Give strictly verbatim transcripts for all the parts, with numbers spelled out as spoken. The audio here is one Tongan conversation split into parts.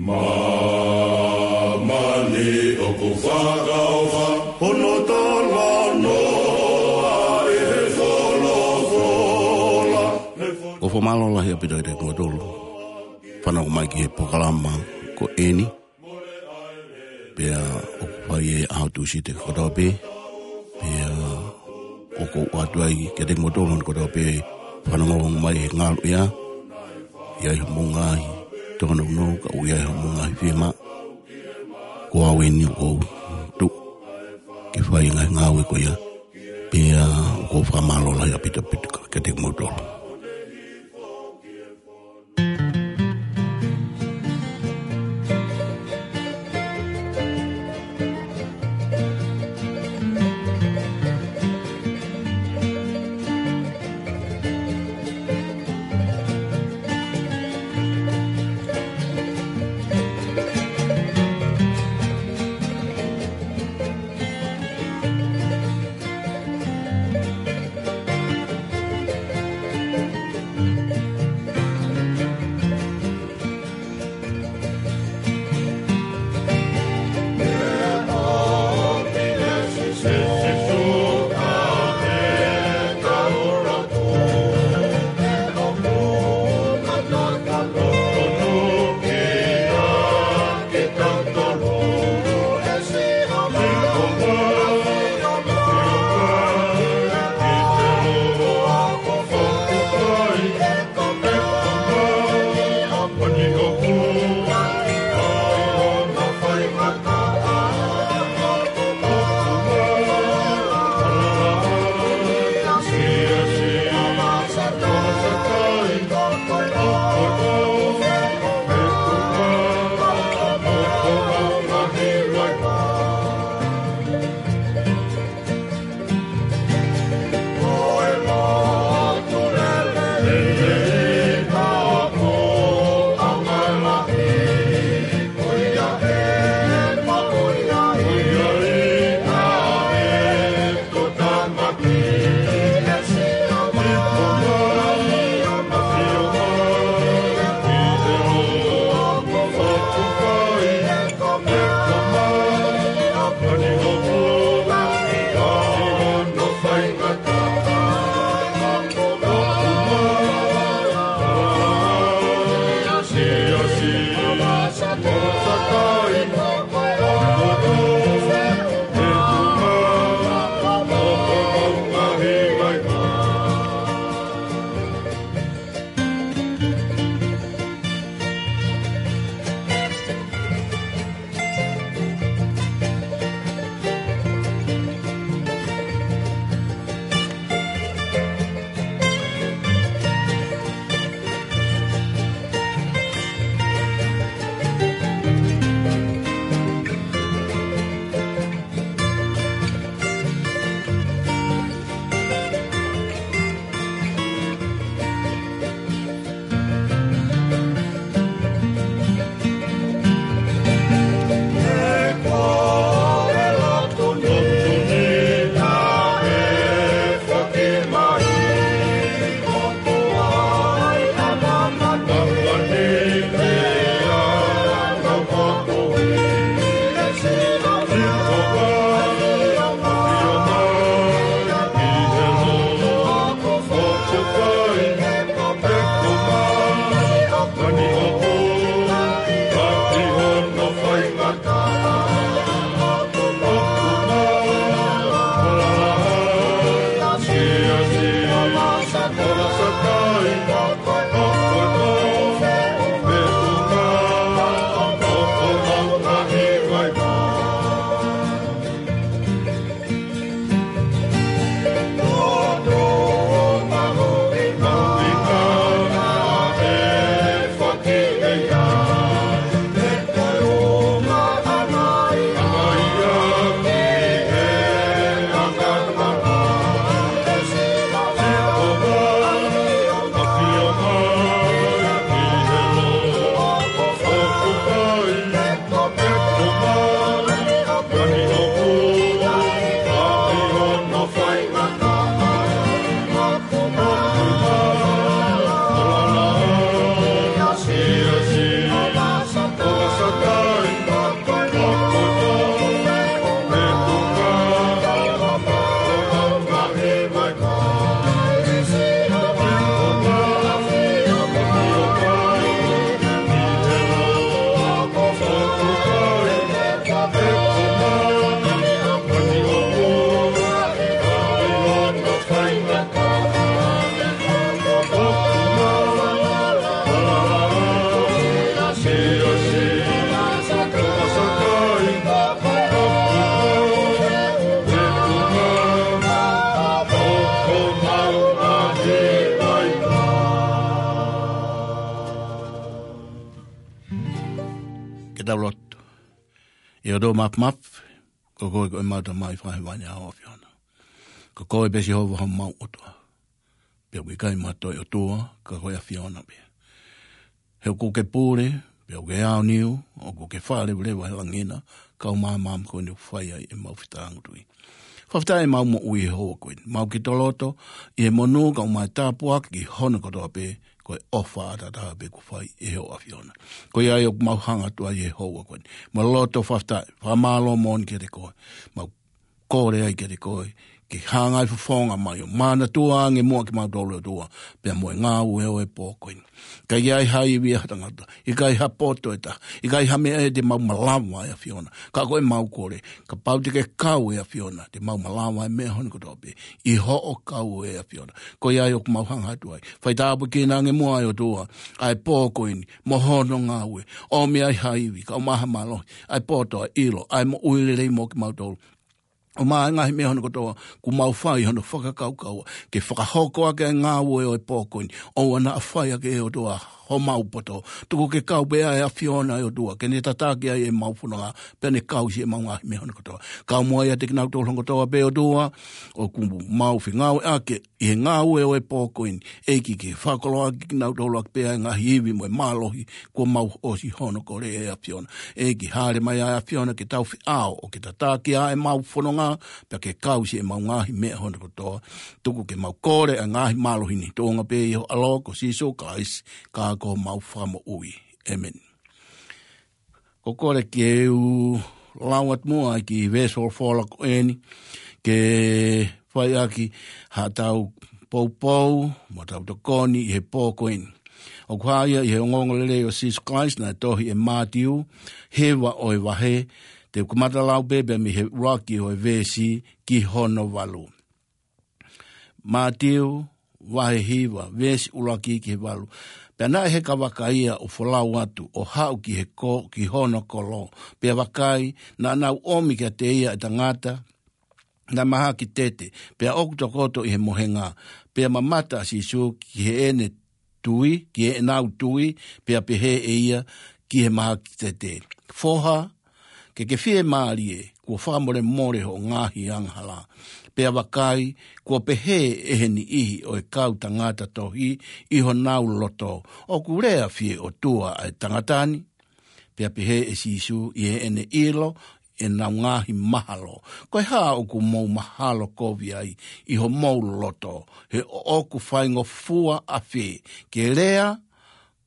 Māmani ʻoku fakaʻofa hono talanoa ʻi he folofola. ʻOku fakamālō lahi ʻaupito kiate kimoutolu fānau mai ki he polokalama ko eni. Pea ʻoku fai ʻi he ʻaho Tūsite kotoa pē. Pea ʻoku ou ʻoatu ai kiate kimoutolu kotoa pē fānau mai he ngaluʻea. ʻI ai hoʻomou ngaahi tōnounou, ka ʻoku ʻi ai hoʻomou ngaahi fiemaʻu. Ko au eni ʻoku ou tuʻu ke fai e ngaahi ngāue ko ia. Pea ʻoku ou fakamālō lahi ʻaupito ʻaupito kiate kimoutolu. Ke tau lotu. ʻE ʻOtua Māfimafi, ko koe ko ʻemau Tamai fakahēvani, ʻa e ʻAfiona. Ko koe pē Sihova homau ʻOtua. Pea ʻoku ʻikai mo ha toe ʻOtua ka ko e ʻAfiona pē. He ʻoku ke pule, pea ʻoku ke aoniu, ʻoku ke fakaleveleva he langi na, kau māmani ko eni ʻoku fai ai ʻemau fetāutui. Fakafetaʻi ʻemau moʻui he houa ko eni. Mau ki toloto, ʻi he monū kae ʻumaʻā e tāpuaki ki hono kotoa pē, ko e ʻofa ʻataʻatā pē kuo fai ʻe ho ʻAfiona. Ko ia ai ʻoku mau hanga atu ai he houa ko eni. Mau loto fakafetaʻi, fakamālō moʻoni kiate koe. Mau kole ai kiate koe, ke hangai fofonga mai ʻo manatua ange muʻa kimautolu ʻOtua, pea mo e ngāue ʻo e pō ko eni. ʻIkai ai ha ivi ʻa ha tangata, ʻikai ha poto ʻe taha, ʻikai ha meʻa ʻe te mau malava ʻe ʻAfiona. Ka ko ʻemau kole, kapau te ke kau ʻe ʻAfiona, te mau malava e meʻa hono kotoa pē, ʻi hoʻo kau ʻe ʻAfiona. Ko ia ai ʻoku mau hanga atu ai. Fai tāpuekina ange muʻa ʻe ʻOtua, ʻa e pō ko eni, mo hono ngāue, ʻomi ai ha ivi, kae ʻumaʻā ha mālohi, ʻa e poto, ʻa e ʻilo, ʻa e moʻui lelei mo kimautolu. ʻUmaʻā e ngaahi meʻa hono kotoa, kuo mau fai hono fakakaukau, ke fakahoko ʻaki e ngāue ʻo e pō ko eni, ʻoua naʻa fai ʻaki ʻe ʻOtua homau poto. Tuku ke kau pē ʻa e ʻAfiona ʻe ʻOtua, ke ne tataki ai ʻemau fononga, pea ne kau siʻemau ngaahi meʻa hono kotoa. Kau muʻa ʻiate kinautolu hono kotoa pē ʻOtua, ʻoku mau fengāueʻaki ʻi he ngāue ʻo e pō ko eni, ʻEiki ke fakakoloa ʻaki kinautolu ʻaki pē ʻa e ngaahi ivi mo e mālohi, kuo mau ʻosi hono kole ʻe ʻAfiona. ʻEiki hāʻele mai ʻa e ʻAfiona ke tau feʻao ʻo ke tataki ʻa ʻemau fononga, pea ke kau siʻemau ngaahi meʻa hono kotoa. Tuku ke mau kole ʻa e ngaahi mālohi ni, tuʻunga pē ʻi ho ʻAlo ko Sīsū Kalaisi, ka ko homau Fakamoʻui. ʻĒmeni. ʻOku ou kole ke u lau atu muʻa e kiʻi veesi folofola ko eni, ke fai ʻaki haʻatau poupou, mo ʻetau tokoni ʻi he pō ko eni. ʻOku hā ia ʻi he ongoongolelei ʻo Sīsū Kalaisi naʻe tohi ʻe Mātiu, hiva ʻo e vahe, te u kamata lau pē pea mei he ʻuluaki ʻo e veesi ki hono valu. Mātiu, vahe hiva, veesi ʻuluaki ki he valu. Pea naʻe heka vaka ia ʻo folau atu, ʻo haʻu ki he ko, ki hono kolo. Pea vakai, naʻa nau ʻomi kiate ia e tangata naʻe mahaki tete, pea ʻoku tokoto ʻi he mohenga. Pea mamata ʻa Sīsū ki heʻene tui, ki heʻenau tui, pea pehē ʻe ia ki he mahaki tete, Foha, ke ke fiemālie, kuo fakamolemole hoʻo ngaahi angahala. Pea vakai, kuo pehē ʻe he niʻihi ʻo e kau tangata tohi ʻi honau loto, ʻOku lea fie ʻOtua ʻa e tangata ni? Pea pehē ʻe Sīsū, ʻi heʻene ʻilo ʻenau ngaahi mahalo, Ko e hā ʻoku mou mahalo kovi ai ʻi homou loto? He ʻoku faingofua ʻafē ke lea,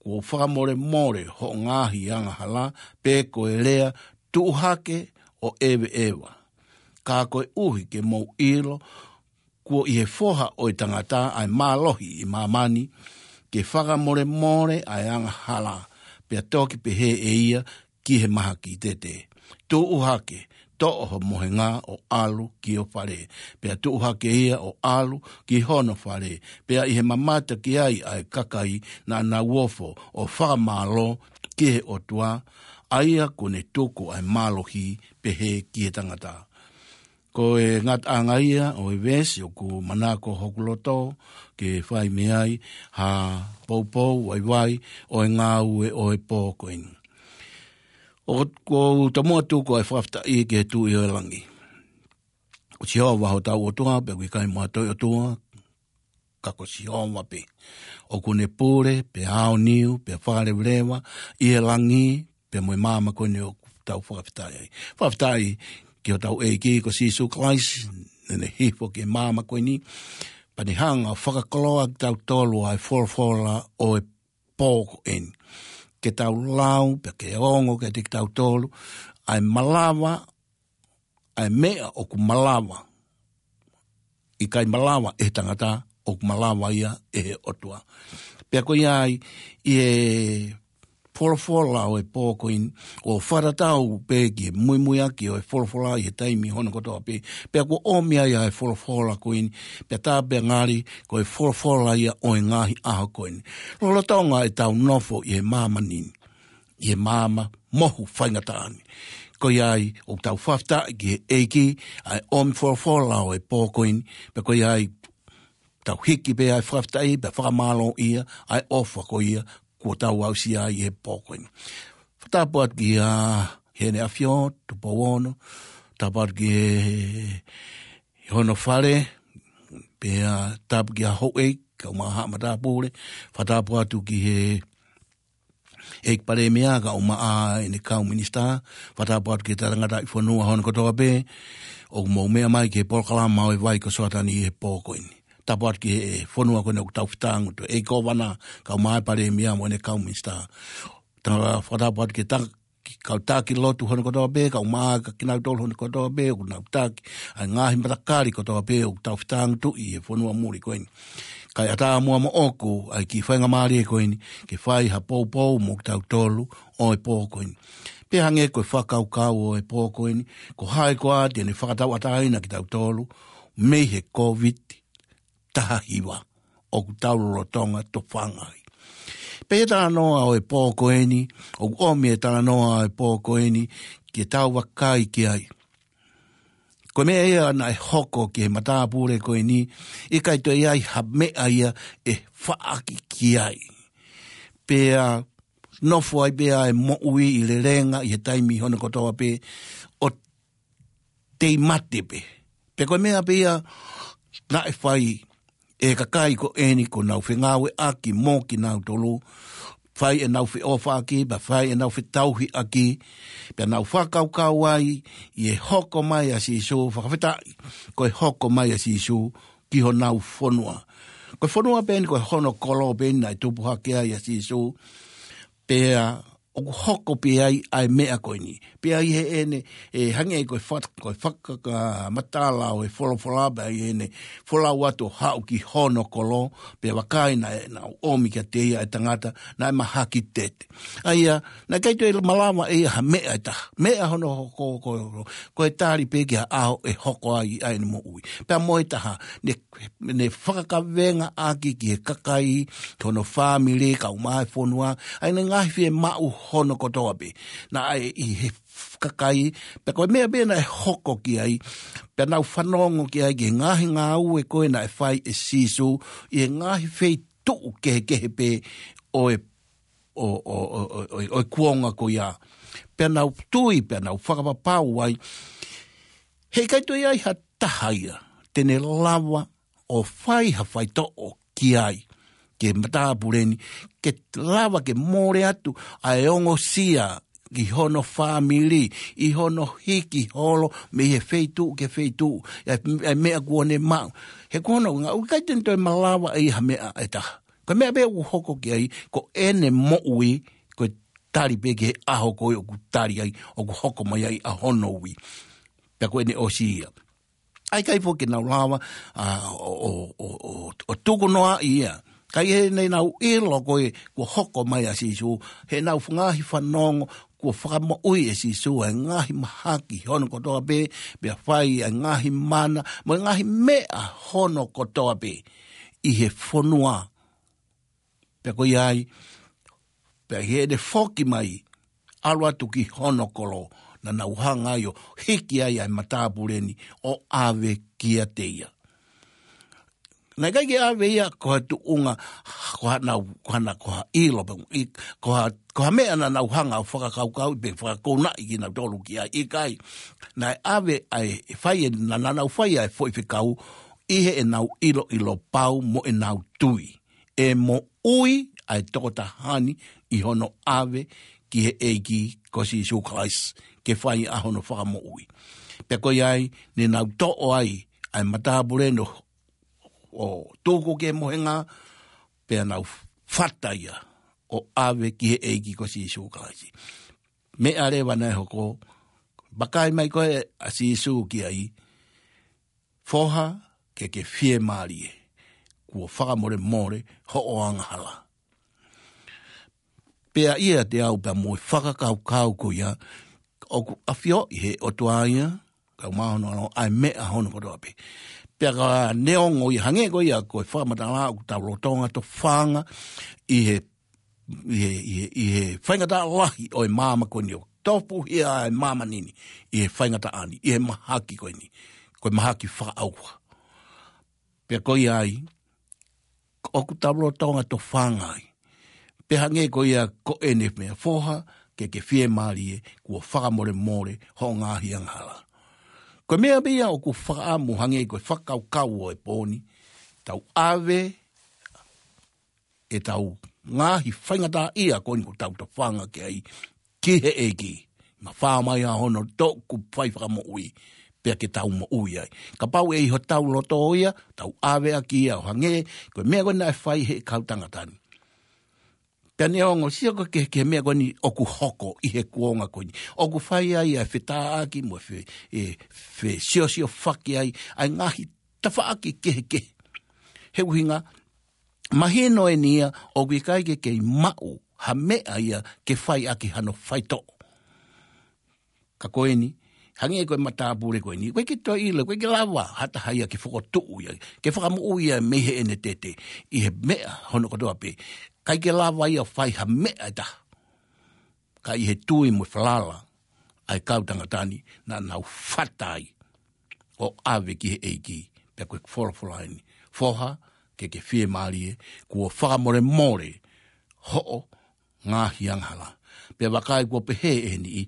Kuo fakamolemole hoʻo ngaahi angahala, pe ko e lea, Tuʻu hake ʻo ʻeveʻeva? Ka koeʻuhi ke mou ʻilo kuo ʻi he Foha ʻo e tangata ʻa e mālohi ʻi māmani, ke fakamolemole ʻa e angahala, pea toki pehē ʻe ia ki he mahaki tete, Tuʻu hake, toʻo ho mohenga ʻo ʻalu ki ho fale. Pea tuʻu hake ia ʻo ʻalu ki hono fale. Pea ʻi he mamata ki ai ʻa e kakai, naʻa nau ofo ʻo fakamālō ki he ʻOtua, ʻa ia kuo ne tuku ʻa e mālohi pehē ki he tangata. Ko e ngataʻanga ia ʻo e veesi ʻoku manako hoku loto ke fai mei ai ha poupou vaivai ʻo e ngāue ʻo e pō ko eni. ʻOku ou tomuʻa tuku ʻa e fakafetaʻi ki he Tuʻi ʻo e langi. Ko Sihova hotau ʻOtua, pea ʻoku ʻikai mo ha toe ʻOtua, ka ko Sihova pē. ʻOku ne pule, pea aoniu, pea fakaleveleva, ʻi he langi, pea mo e māmani ko eni ʻoku tau fakafetaʻi ai. Fakafetaʻi ki hotau ʻEiki ko Sīsū Kalaisi, naʻa ne hifo ki he māmani ko eni, pea ne hanga ʻo fakakoloa kitautolu ʻa e folofola ʻo e pō ko eni. Ke tau lau, pea ke ongo kiate kitautolu, ʻa e malava, ʻa e meʻa ʻoku malava, ʻikai malava ʻe he tangata, ʻoku malava ia ʻe he ʻOtua. Pea ko ia ai, ʻi he folofola ʻo e pō ko eni, ʻo fakatatau pē ki he muimuiaki ʻo e folofola ʻi he taimi hono kotoa pē. Pea kuo ʻomi ai ʻa e folofola ko eni, pea tā pea ngali ko e folofola ia ʻo e ngaahi ʻaho ko eni. Lolotonga ʻetau nofo ʻi he māmani ni, ʻi he maama mohu faingataʻa ni. Ko ia ai, ʻoku tau fakafetaʻi ki he ʻEiki, ʻa e ʻomi folofola ʻo e pō ko eni, pea ko ia ai, tau hiki pē ʻa e fakafetaʻi, pea fakamālō ia, ʻa e ʻofa ko ia, kuo tau aʻusia ai ʻi he pō ko eni. Tapu atu ki a Heʻene ʻAfio, Tupou Ono, tapu atu ki he, hono fale, pea tapu ki a houʻeiki, kae ʻumaʻā haʻa matāpule, fakatapu atu ki he ʻEiki Palēmia, kae ʻumaʻā ʻene kau minisitā, fakatapu atu ki he talangataʻi fonua hono kotoa pē, ʻoku mou meʻa mai ki he polokalama ʻo e vai ko Soatani he pō ko eni. Tapu atu ki he fonua ko eni ʻoku tau fetāngutuʻi, ʻEiki Kōvana, kae ʻumaʻā e Palēmia mo ʻene kau minisitā. Tala fakatapu atu ki he ta-, ki he kau taki lotu hono kotoa pē, kae ʻumaʻā kinautolu hono kotoa pē, ʻoku nau taki ʻa e ngaahi matakali kotoa pē, ʻoku tau fetāngutuʻi he fonua muli ko eni. Kae ʻatā muʻa moʻoku ʻa e kiʻi faingamālie ko eni, ke fai ha poupou mo kitautolu ʻo e pō ko eni. Pea hangē ko e fakakaukau ʻo e pō ko eni, ko hai koā te ne fakatauʻatāina kitautolu, mei he Kōviti taha hiva, ʻoku tau lolotonga tofanga ai. Pea ʻi he talanoa ʻo e pō ko eni, ʻoku ʻomi e talanoa ʻo e pō ko eni, ke tau vakai ki ai. Ko e meʻa ia naʻe hoko ki he matāpule ko eni, ʻikai toe ʻi ai ha meʻa ia ʻe faʻaki ki ai. Pea nofo ai pē ʻa e moʻui ʻi lelenga ʻi he taimi hono kotoa pē, ʻo tei mate pē. Pea ko e meʻa pē ia naʻe fai ʻe he kakai ko eni kuo nau fengāueʻaki mo kinautolu, fai ʻenau feʻofaʻaki, pea fai ʻenau fetauhiʻaki, pea nau fakakaukau ai ʻi he hoko mai ʻa Sīsū, fakafetaʻi, ko e hoko mai ʻa Sīsū ki honau fonua. Ko e fonua pē eni, ko hono kolo pē eni naʻe tupu hake ai ʻa Sīsū, pea ʻoku hoko pē ai ʻa e meʻa ko eni. Pea ʻi heʻene, ʻe hangē ko e fak-, ko e fakakamatala ʻo e folofola, pea ʻi heʻene folau atu ʻo haʻu ki hono kolo, pea vakai naʻe, naʻe ʻomi kiate ia ʻa e tangata naʻe mahaki tete. ʻA ia, naʻe ʻikai toe malava ʻe ia ha meʻa ʻe taha. Meʻa hono hoko ko, ko e tali pē ki ha ʻaho ʻe hoko ai ʻa ʻene moʻui. Pea mo e taha, ne, ne fakakavengaʻaki ki he kakai, ki hono fāmili, kae ʻumaʻā e fonua, ʻa ʻene ngaahi fiemaʻu hono kotoa pē. Naʻe ʻi he kakai, pea ko e meʻa pē naʻe hoko ki ai, pea nau fanongo ki ai ki he ngaahi ngāue ko ē naʻe fai ʻe Sīsū, ʻi he ngaahi feituʻu kehekehe pē ʻo e ʻo, ʻo, ʻo, ʻo, ʻo, ʻo e kuonga ko ia. Pea nau tui, pea nau fakapapau ai. He ʻikai toe ʻi ai ha taha ia te ne lava ʻo fai ha faitoʻo ki ai, ki he matāpule ni, ke lava ke mole atu ʻa e ongosia ki hono fāmili, ʻi hono hiki holo mei he feituʻu ki he feituʻu, ʻa e, ʻa e meʻa kuo ne maʻu. He ko hono ʻuhinga, ʻoku ʻikai te ne toe malava ʻe ia ha meʻa ʻe taha. Ko e meʻa pē ʻoku hoko ki ai, ko ʻene moʻui, ko e tali pē ki he ʻaho ko ē ʻoku tali ai, ʻoku hoko mai ai ʻa hono ui. Pea ko ʻene ʻosi ia. ʻA e ʻikai foki ke nau lava, ʻa, ʻo, ʻo, ʻo, ʻo, ʻo tuku noa ia. Ka ʻi heʻenau ʻilo ko ē, kuo hoko mai ʻa Sīsū, heʻenau ngaahi fanongo, kuo fakamoʻui ʻe Sīsū ʻa e ngaahi mahaki hono kotoa pē, pea fai ʻa e ngaahi mana, mo e ngaahi meʻa hono kotoa pē ʻi he fonua. Pea ko ia ai, pea ʻi heʻene foki mai, ʻalu atu ki hono kolo, naʻa nau hanga ai ʻo hiki ai ʻa e matāpule ni ʻo ʻave kiate ia. Naʻe ʻikai ke ʻave ia ko ha tuʻunga, ko haʻanau, ko haʻana, ko ha ʻilo, pe ʻi, ko ha, ko ha meʻa naʻa nau hanga ʻo fakakaukau pe fakakounaʻi kinautolu ki ai, ʻikai. Naʻe ʻave ʻa e fai ē, naʻa, naʻa nau fai ʻa e foʻi fekau, ʻi heʻenau ʻiloʻilo pau mo ʻenau tui ʻe moʻui ʻa e tokotaha ni ʻi hono ʻave ki he ʻEiki ko Sīsū Kalaisi, ke fai ʻa hono fakamoʻui. Pea ko ia ai, ne nau toʻo ai ʻa e matāpule ni ʻo tuku ki he mohenga, pea nau fata ia ʻo ʻave ki he ʻEiki ko Sīsū Kalaisi. Meʻa leva naʻe hoko, vakai mai ko ē ʻa Sīsū ki ai, Foha, ke ke fiemālie, kuo fakamolemole hoʻo angahala. Pea ʻiate au pea mo e fakakaukau ko ia, ʻoku ʻafioʻi ʻe he ʻOtua ia, kae ʻumaʻā hono ʻAlo, ʻa e meʻa hono kotoa pē. Pea ka neongo ia, hangē ko ia ko e fakamatala ʻoku tau lolotonga tofanga ʻi he, ʻi he, ʻi he, ʻi he faingataʻa lahi ʻo e māmani ko eni, ʻo topuhia ʻa e māmani ni ʻi he faingataʻa ni, ʻi he mahaki ko eni, ko e mahaki fakaʻauha. Pea ko ia ai, ʻoku tau lolotonga tofanga ai. Pea hangē ko ia ko ʻene meʻa, Foha, ke ke fiemālie, kuo fakamolemole hoʻo ngaahi angahala. Ko e meʻa pē ia ʻoku fakaʻamu hangē ko e fakakaukau ʻo e pō ni, tau ʻave ʻetau ngaahi faingataʻaʻia ko eni ʻoku tau tofanga ki ai ki he ʻEiki. Mafao mai ʻa hono toʻuku fai fakamoʻui, pea ke tau moʻui ai. Kapau ʻe ʻi hotau loto ia, tau ʻave ʻaki ia ʻo hangē ko e meʻa ko eni naʻe fai he kau tangata ni. Pea neongo sio ko e ke, ke meʻa ko eni ʻoku hoko ʻi he kuonga ko eni. ʻOku fai ai ʻa e fetāʻaki mo e fe, e, fesiosiofaki ai, ʻa e ngaahi tafaʻaki kehekehe. He ʻuhinga, mahino eni ia ʻoku ʻikai ke kei maʻu ha meʻa ia ke fai ʻaki hano faitoʻo. Ka ko eni, hangē ko e matāpule ko eni, ʻoku ʻikai ke toe ʻilo, ʻoku ʻikai ke lava ha taha ia ke fokotuʻu ia, ke fakamoʻui ia mei heʻene tete, ʻi he meʻa hono kotoa pē. ʻIkai ke lava ia fai ha meʻa ʻe taha. Ka ʻi he tui mo e falala ʻa e kau tangata ni, naʻa nau fata ai ʻo ʻave ki he ʻEiki, pea ko e folofola eni. Foha, ke ke fiemālie, kuo fakamolemole hoʻo ngaahi angahala. Pea vakai kuo pehē ʻe he niʻihi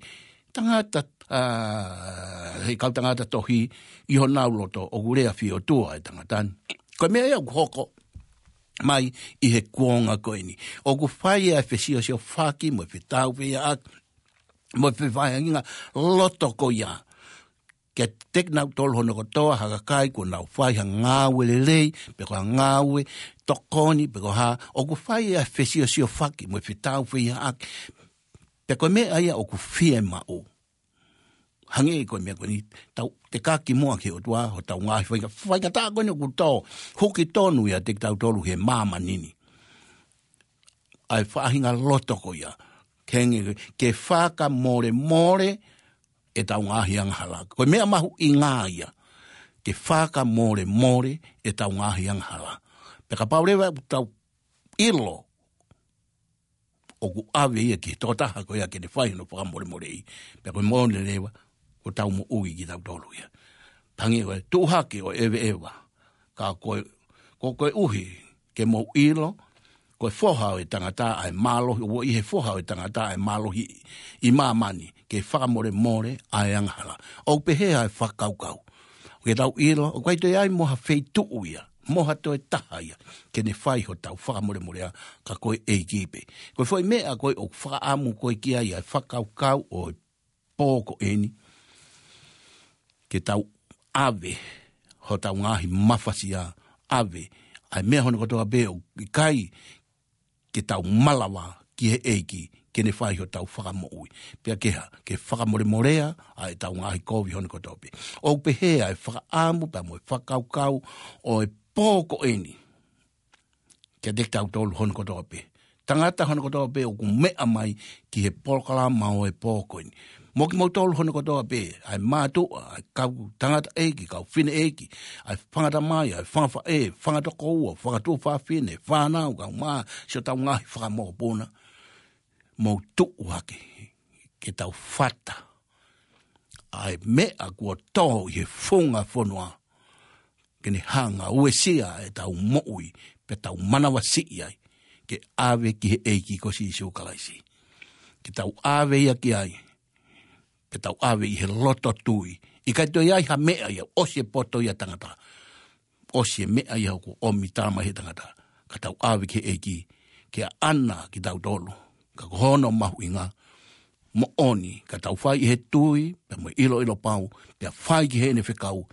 tangata, ʻa, he kau tangata tohi ʻi honau loto ʻoku lea fie ʻOtua ʻa e tangata ni. Ko e meʻa ia ʻoku hoko mai ʻi he kuonga ko eni. ʻOku fai ʻa e fesiosiofaki mo e fetaufehiʻaki mo e fevahevaheʻaki loto ko ia. Ke teki nautolu hono kotoa ha kakai kuo nau fai ha ngāue lelei, pe ko ha ngāue tokoni, pe ko ha, ʻoku fai ʻa e fesiosiofaki mo e fetaufehiʻaki. Pea ko e meʻa ia ʻoku fiemaʻu. Hangē ko e meʻa ko eni, tau tekaki muʻa ki he ʻOtua, hotau ngaahi fainga, faingataʻa ko eni ʻoku tō, huki tonu ia ʻiate kitautolu he māmani ni. ʻA e faʻahinga loto ko ia. Ke hangē, ke fakamolemole ʻetau ngaahi angahala. Ko e meʻa mahuʻinga ia. Ke fakamolemole ʻetau ngaahi angahala. Pea kapau leva ʻoku tau ʻilo ʻoku ʻave ia ki he tokotaha ko ia ke ne fai hono fakamolemoleʻi. Pea ko e moʻoni leva, ʻoku tau moʻui kitautolu ia. Hangē ko e tuʻu hake ʻo ʻeveʻeva. Ka ko e, ko, koeʻuhi ke mou ʻilo, ko e foha ʻo e tangata ʻa e mālohi, ʻoku ʻi he foha ʻo e tangata ʻa e mālohi ʻi māmani, ke fakamolemole ʻa e angahala. ʻOku pehē ʻa e fakakaukau. Ke tau ʻilo, ʻoku ʻikai toe ʻi ai mo ha feituʻu ia, mo ha toe taha ia, ke ne fai hotau fakamolemolea ka ko e ʻEiki pē. Ko e foʻi meʻa ko ē ʻoku fakaʻamu ko ē ki ai ʻa e fakakaukau ʻo e pō ko eni. Ke tau ʻave hotau ngaahi mafasia, ʻave ʻa e meʻa hono kotoa pē ʻoku ʻikai ke tau malava ki he ʻEiki, ke ne fai hotau fakamoʻui. Pea ke hā, ke fakamolemolea ʻa ʻetau ngaahi kovi hono kotoa pē. ʻOku pehē ʻa e fakaʻamu pea mo e fakakaukau ʻo e pō ko eni. Kiate kitautolu hono kotoa pē. Tangata hono kotoa pē ʻoku meʻa mai ki he polokalama ʻo e pō ko eni. Mo kimoutolu hono kotoa pē, ʻa e mātuʻa, ʻa e kau tangataʻeiki, kau fineʻeiki, ʻa e fanga tamai, ʻa e fanga faʻē, fanga tokoua, fanga tuofāfine, fānau, kau mā, siʻotau ngaahi fakamokopuna. Mou tuʻu hake, ke tau fata ʻa e meʻa kuo tō ʻi he funga fonua. Ke ne hanga ʻo uesia ʻetau moʻui, pea tau manavasiʻi ai, ke ʻave ki he ʻEiki ko Sīsū Kalaisi. Ke tau ʻave ia ki ai, pea tau ʻave ʻi he loto tui. ʻIkai toe ʻi ai ha meʻa ia, ʻosi e poto ia tangata. ʻOsi e meʻa ia ʻoku ʻomi tala mai he tangata. Ka tau ʻave ki he ʻEiki, ke ʻaʻana kitautolu. Ka ko hono mahuʻinga, moʻoni, ka tau fai ʻi he tui, pea mo e ʻiloʻilo pau, pea fai ki heʻene fekau,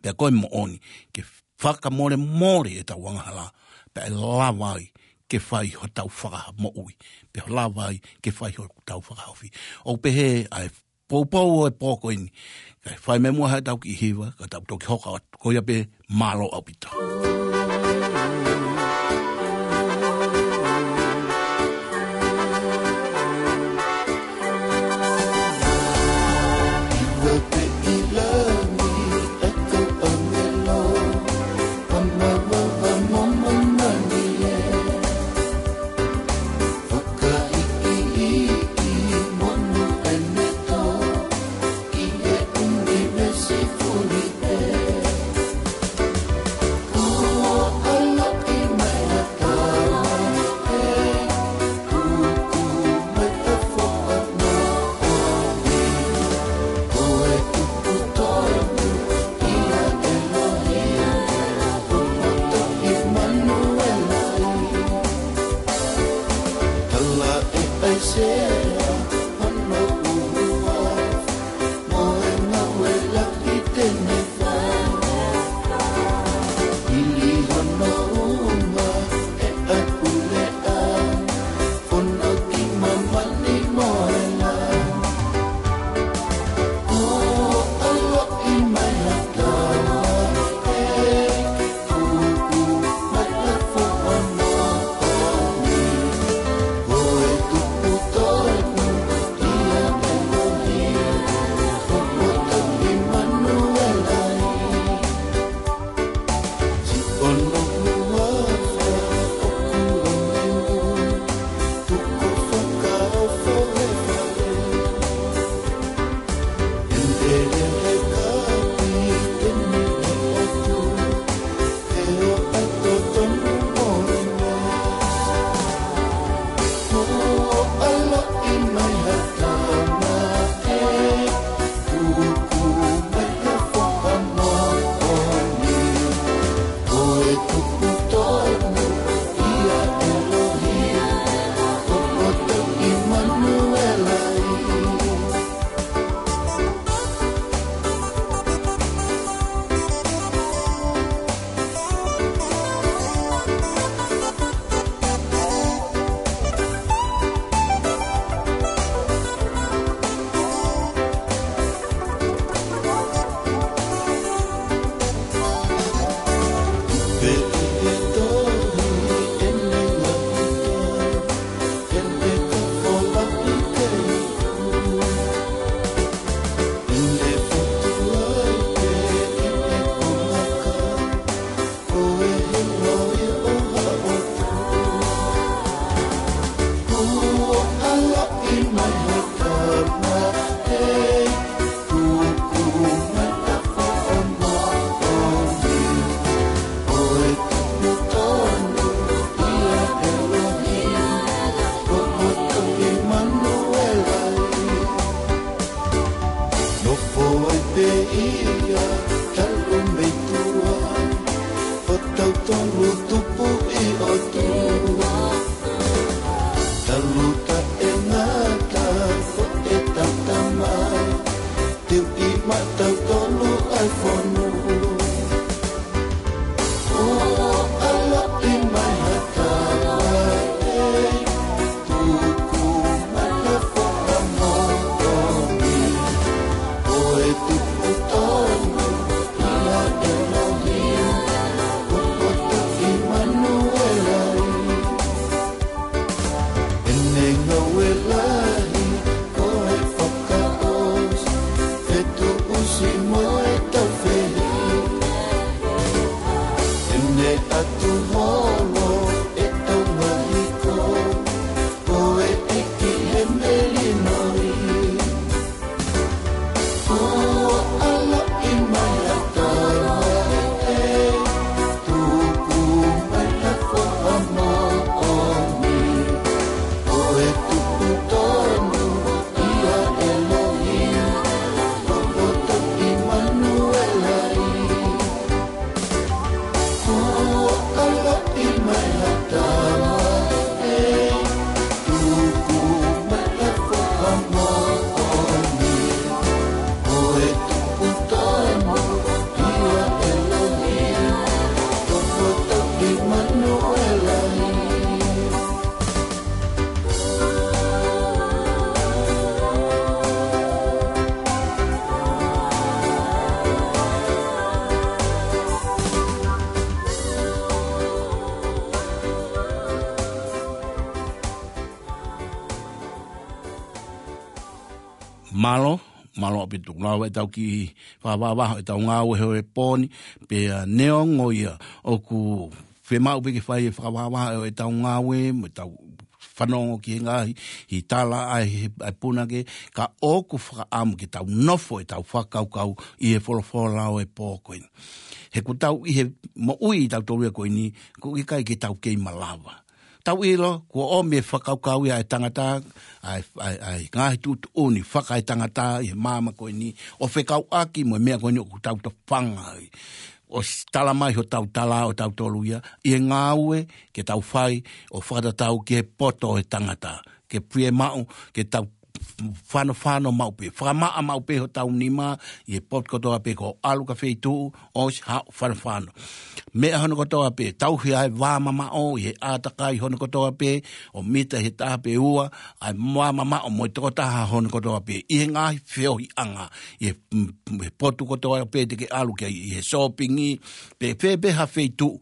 pea ko e moʻoni, ke fakamolemole ʻetau angahala, pea ʻe lava ai ke fai hotau fakamoʻui, pea lava ai ke fai hotau fakahaofi. ʻOku pehē ʻa e poupou ʻo e pō ko eni, kae fai mai muʻa haʻatau kiʻi hiva, ka tau toki hoko atu, ko ia pē, mālō ʻaupito. Ia, talu mei tuʻa, ʻo tautolu tupu ʻi ʻOtua. Talu taʻengata, ko ʻetau Tamai, teu ʻi maʻatautolu ʻa e fonu. ʻO ʻaloʻi mai ha tama, ʻe tuku mai ha foha moʻoni. Ko e tupu tonu, ʻia ʻElohimi, ko e poto ʻImanuela. ʻEne ngāue lahi, ko e fakaʻosi, fetuʻusi mo e taufehiʻa. ʻEne ʻatu holo, ʻetau ngaahi hiko, ko e ʻEiki he melino. ʻO ʻaloʻi mai ha tama, ʻe tuku mai ha foha moʻoni. Ko e tupu tonu, ʻia ʻElohimi, ko e poto ʻImanuela. ʻO ʻaloʻi mai ha tama, ʻe tuku mai ha foha moʻoni. Ko e tupu tonu, ʻia ʻElohimi, ko e poto ʻImanuela. Mālō, mālō ʻaupito. Lava ʻetau kiʻi fakavavevave ʻetau ngāue he ʻaho ni, pea neongo ia ʻoku fiemaʻu pē ke fai e fakavavevave ʻo ʻetau ngāue, mo ʻetau fanongo ki he ngaahi, ʻi he tala ʻa e, ʻa e punake, ka ʻoku fakaʻamu ke tau nofo ʻetau fakakaukau ʻi he folofola ʻo e pō ko eni. He ʻoku tau ʻi he moʻui ʻi tautolu ia ko eni, ʻoku ʻikai ke tau kei malava. Tau ʻilo, kuo ʻomi e fakakaukau ia ʻa e tangata, ʻa e, ʻa e, ʻa e ngaahi tuʻutuʻuni fakaetangata ʻi he māmani ko eni, ʻo fekauʻaki mo e meʻa ko eni ʻoku tau tofanga ai. ʻOsi tala mai hotau tala ʻo tautolu ia, ʻi he ngāue ke tau fai ʻo fakatatau ki he poto ʻo e tangata. Ke fiemaʻu, ke tau fanofano maʻu pē, fakamaʻa maʻu pē hotau nima, ʻi he potu kotoa pē ko e ʻalu ki ha feituʻu, ʻosi haʻu fanofano. Meʻa hono kotoa pē, tauhi ʻa e vā mamaʻo, ʻi he ʻātakai hono kotoa pē, ʻo mita he taha pe ua, ʻa e vā mamaʻo mo e tokotaha hono kotoa pē, ʻi he ngaahi feohiʻanga, ʻi he, mm, he potu kotoa pē te ke ʻalu ki ai, ʻi he sōpingi, pe, pe, pe ha feituʻu.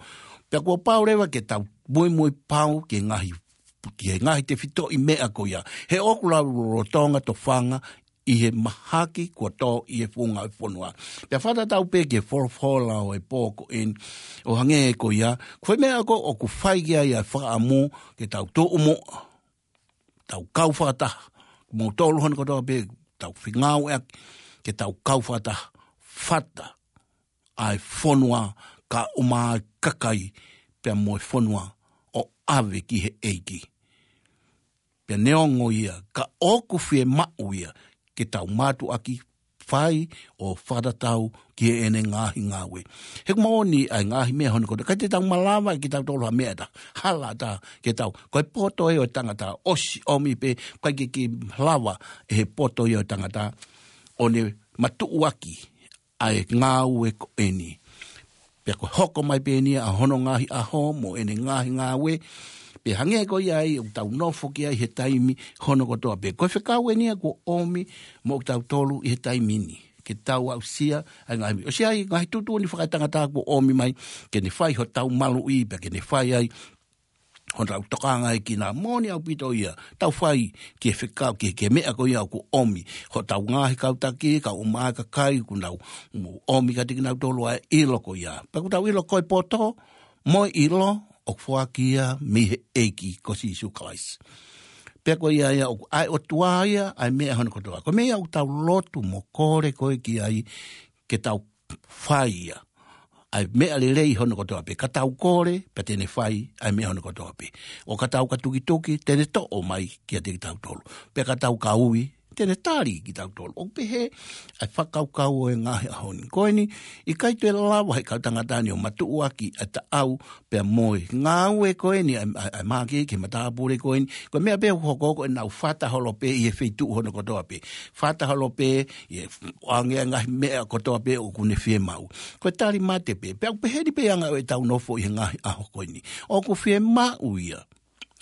Pea kuo pau leva ke tau muimui pau ki he ngaahi, ki he ngaahi tefitoʻi meʻa ko ia. He ʻoku lau lolotonga tofanga ʻi he mahaki kuo tō ʻi he funga ʻo e fonua. Pea fakatatau pē ki he folofola ʻo e pō ko eni ʻo hangē ko ia. Ko e meʻa ko ē ʻoku fai ki ai ʻa e fakaʻamu ke tau tuʻu muʻa. Tau kau fakataha. Mo tolu hono kotoa pē, tau fengāueʻaki, ke tau kau fakataha. Fata ʻa e fonua ka ʻuma ʻa e kakai pea mo e fonua ʻo ʻave ki he ʻEiki. Pea neongo ia, ka ʻoku fiemaʻu ia, ke tau mātuʻaki fai ʻo fakatatau ki heʻene ngaahi ngāue. He ʻoku moʻoni ʻa e ngaahi meʻa hono kotoa. ʻIkai te tau malava ke tau tolo ha meʻa ʻe taha. Hala ʻe taha ke tau. Ko e poto ē ʻo e tangata ʻosi ʻomi pē, ʻikai ke, ke lava ʻe he poto ia ʻo e tangata ʻo ne matuʻuaki ʻa e ngāue ko eni. Pea ko e hoko mai pē eni ʻa hono ngaahi ʻaho mo ʻene ngaahi ngāue. Pea hangē ko ia ai ʻoku tau nofo ki ai he taimi hono kotoa pē. Ko e fekau eni ia kuo ʻomi mo kitautolu ʻi he taimi ni. Ke tau aʻusia ʻa e ngaahi, ʻosi ʻa e ngaahi tuʻutuʻuni fakaetangata kuo ʻomi mai, ke ne fai hotau maluʻi, pea ke ne fai ai hotau tokanga ʻi he kina. Moʻoni ʻaupito ia, tau fai ki he fekau, ki he, ki he meʻa ko ia ʻoku ʻomi. Hotau ngaahi kau taki, kau ʻuma ʻa e kakai, ʻoku nau ʻomi kiate kinautolu ʻa e ʻilo ko ia. Pea ʻoku tau ʻilo ko e poto, mo e ʻilo, ʻoku foaki ia mei he ʻEiki ko Sīsū Kalaisi. Pea ko ia ia ʻoku ʻa e ʻOtua ia, ʻa e meʻa hono kotoa. Ko e meʻa ʻoku tau lotu mo kole ko ē ki ai, ke tau fai ia. ʻA e meʻa lelei hono kotoa pē, ka tau kole, pea te ne fai, ʻa e meʻa hono kotoa pē. ʻO ka tau ka tukituki, te ne toʻo mai kiate kitautolu. Pea ka tau ka ui, Te ne tali kitautolu. ʻOku pehē ʻa e fakakaukau ʻo e ngaahi ʻaho ni. Ko eni, ʻikai toe lava he kau tangata ni ʻo matuʻuaki ʻa e taʻau pea mo e ngāue ko eni, ʻa e, ʻa e, ʻa e mākiki he matāpule ko eni. Ko e meʻa pē ʻoku hoko ko ʻenau fata holo pē ʻi he feituʻu hono kotoa pē. Fata holo pē ʻi he ʻoange ʻa e ngaahi meʻa kotoa pē ʻoku ne fiemaʻu. Ko e tali mate pē. Pea ʻoku pehē ni pē anga ʻo ʻetau nofo ʻi he ngaahi ʻaho ko eni. ʻOku fiemaʻu ia.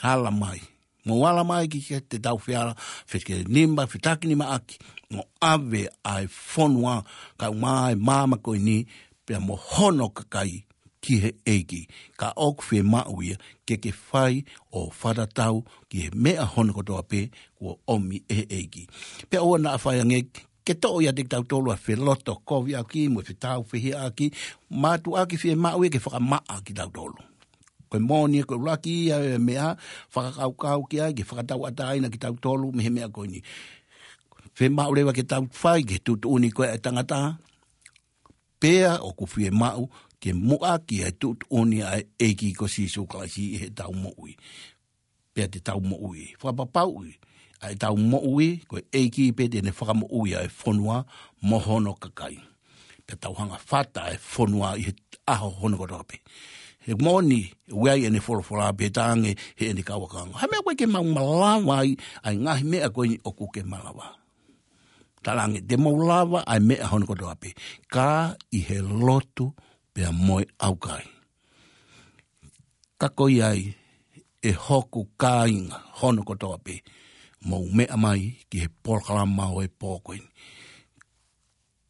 Ala mai. Mou ala mai ki he te tau feala, fekelenima, fetakinima ʻaki, mo ʻave ʻa e fonua, kae ʻumaʻā ʻa e māmani ko eni, pea mo hono kakai ki he ʻEiki. Ka ʻoku fiemaʻu ia, ke ke fai ʻo fakatatau ki he meʻa hono kotoa pē, kuo ʻomi ʻe he ʻEiki. Pea ʻoua naʻa fai ange, ke toʻo ia ʻiate kitautolu ʻa e felotokoviʻaki, mo e fetauhiʻaki, mātuʻaki fiemaʻu ia ke fakamaʻa kitautolu. Ko e moʻoni ko e ʻuluaki ia e meʻa, fakakaukau ki ai, ke fakatauʻatāina kitautolu mei he meʻa ko eni. Fiemaʻu leva ke tau fai, ke tuʻutuʻuni ko e tangata, pea ʻoku fiemaʻu, ke muʻaki ʻa e tuʻutuʻuni ʻa e ʻEiki ko Sīsū Kalaisi ʻi heʻetau moʻui. Pea te tau moʻui. Fakapapauʻi, ʻa ʻetau moʻui, ko e ʻEiki pē te ne fakamoʻui ʻa e fonua, mo hono kakai. Pea tau hanga fata ʻa e fonua ʻi he ʻaho hono kotoa pē. He moʻoni, ʻoku ʻi ai ʻene folofola pē tange, heʻene kau ʻakau. Ha meʻa ko ē ke mau malava ai, ʻa e ngaahi meʻa ko eni ʻoku ke malava. Talaange, te mau lava ʻa e meʻa hono kotoa pē. Ka ʻi he lotu pea mo e ʻaukai. Ka ko ia ai, ʻe hoku kāinga hono kotoa pē. Mou meʻa mai ki he polokalama ʻo e pō ko eni.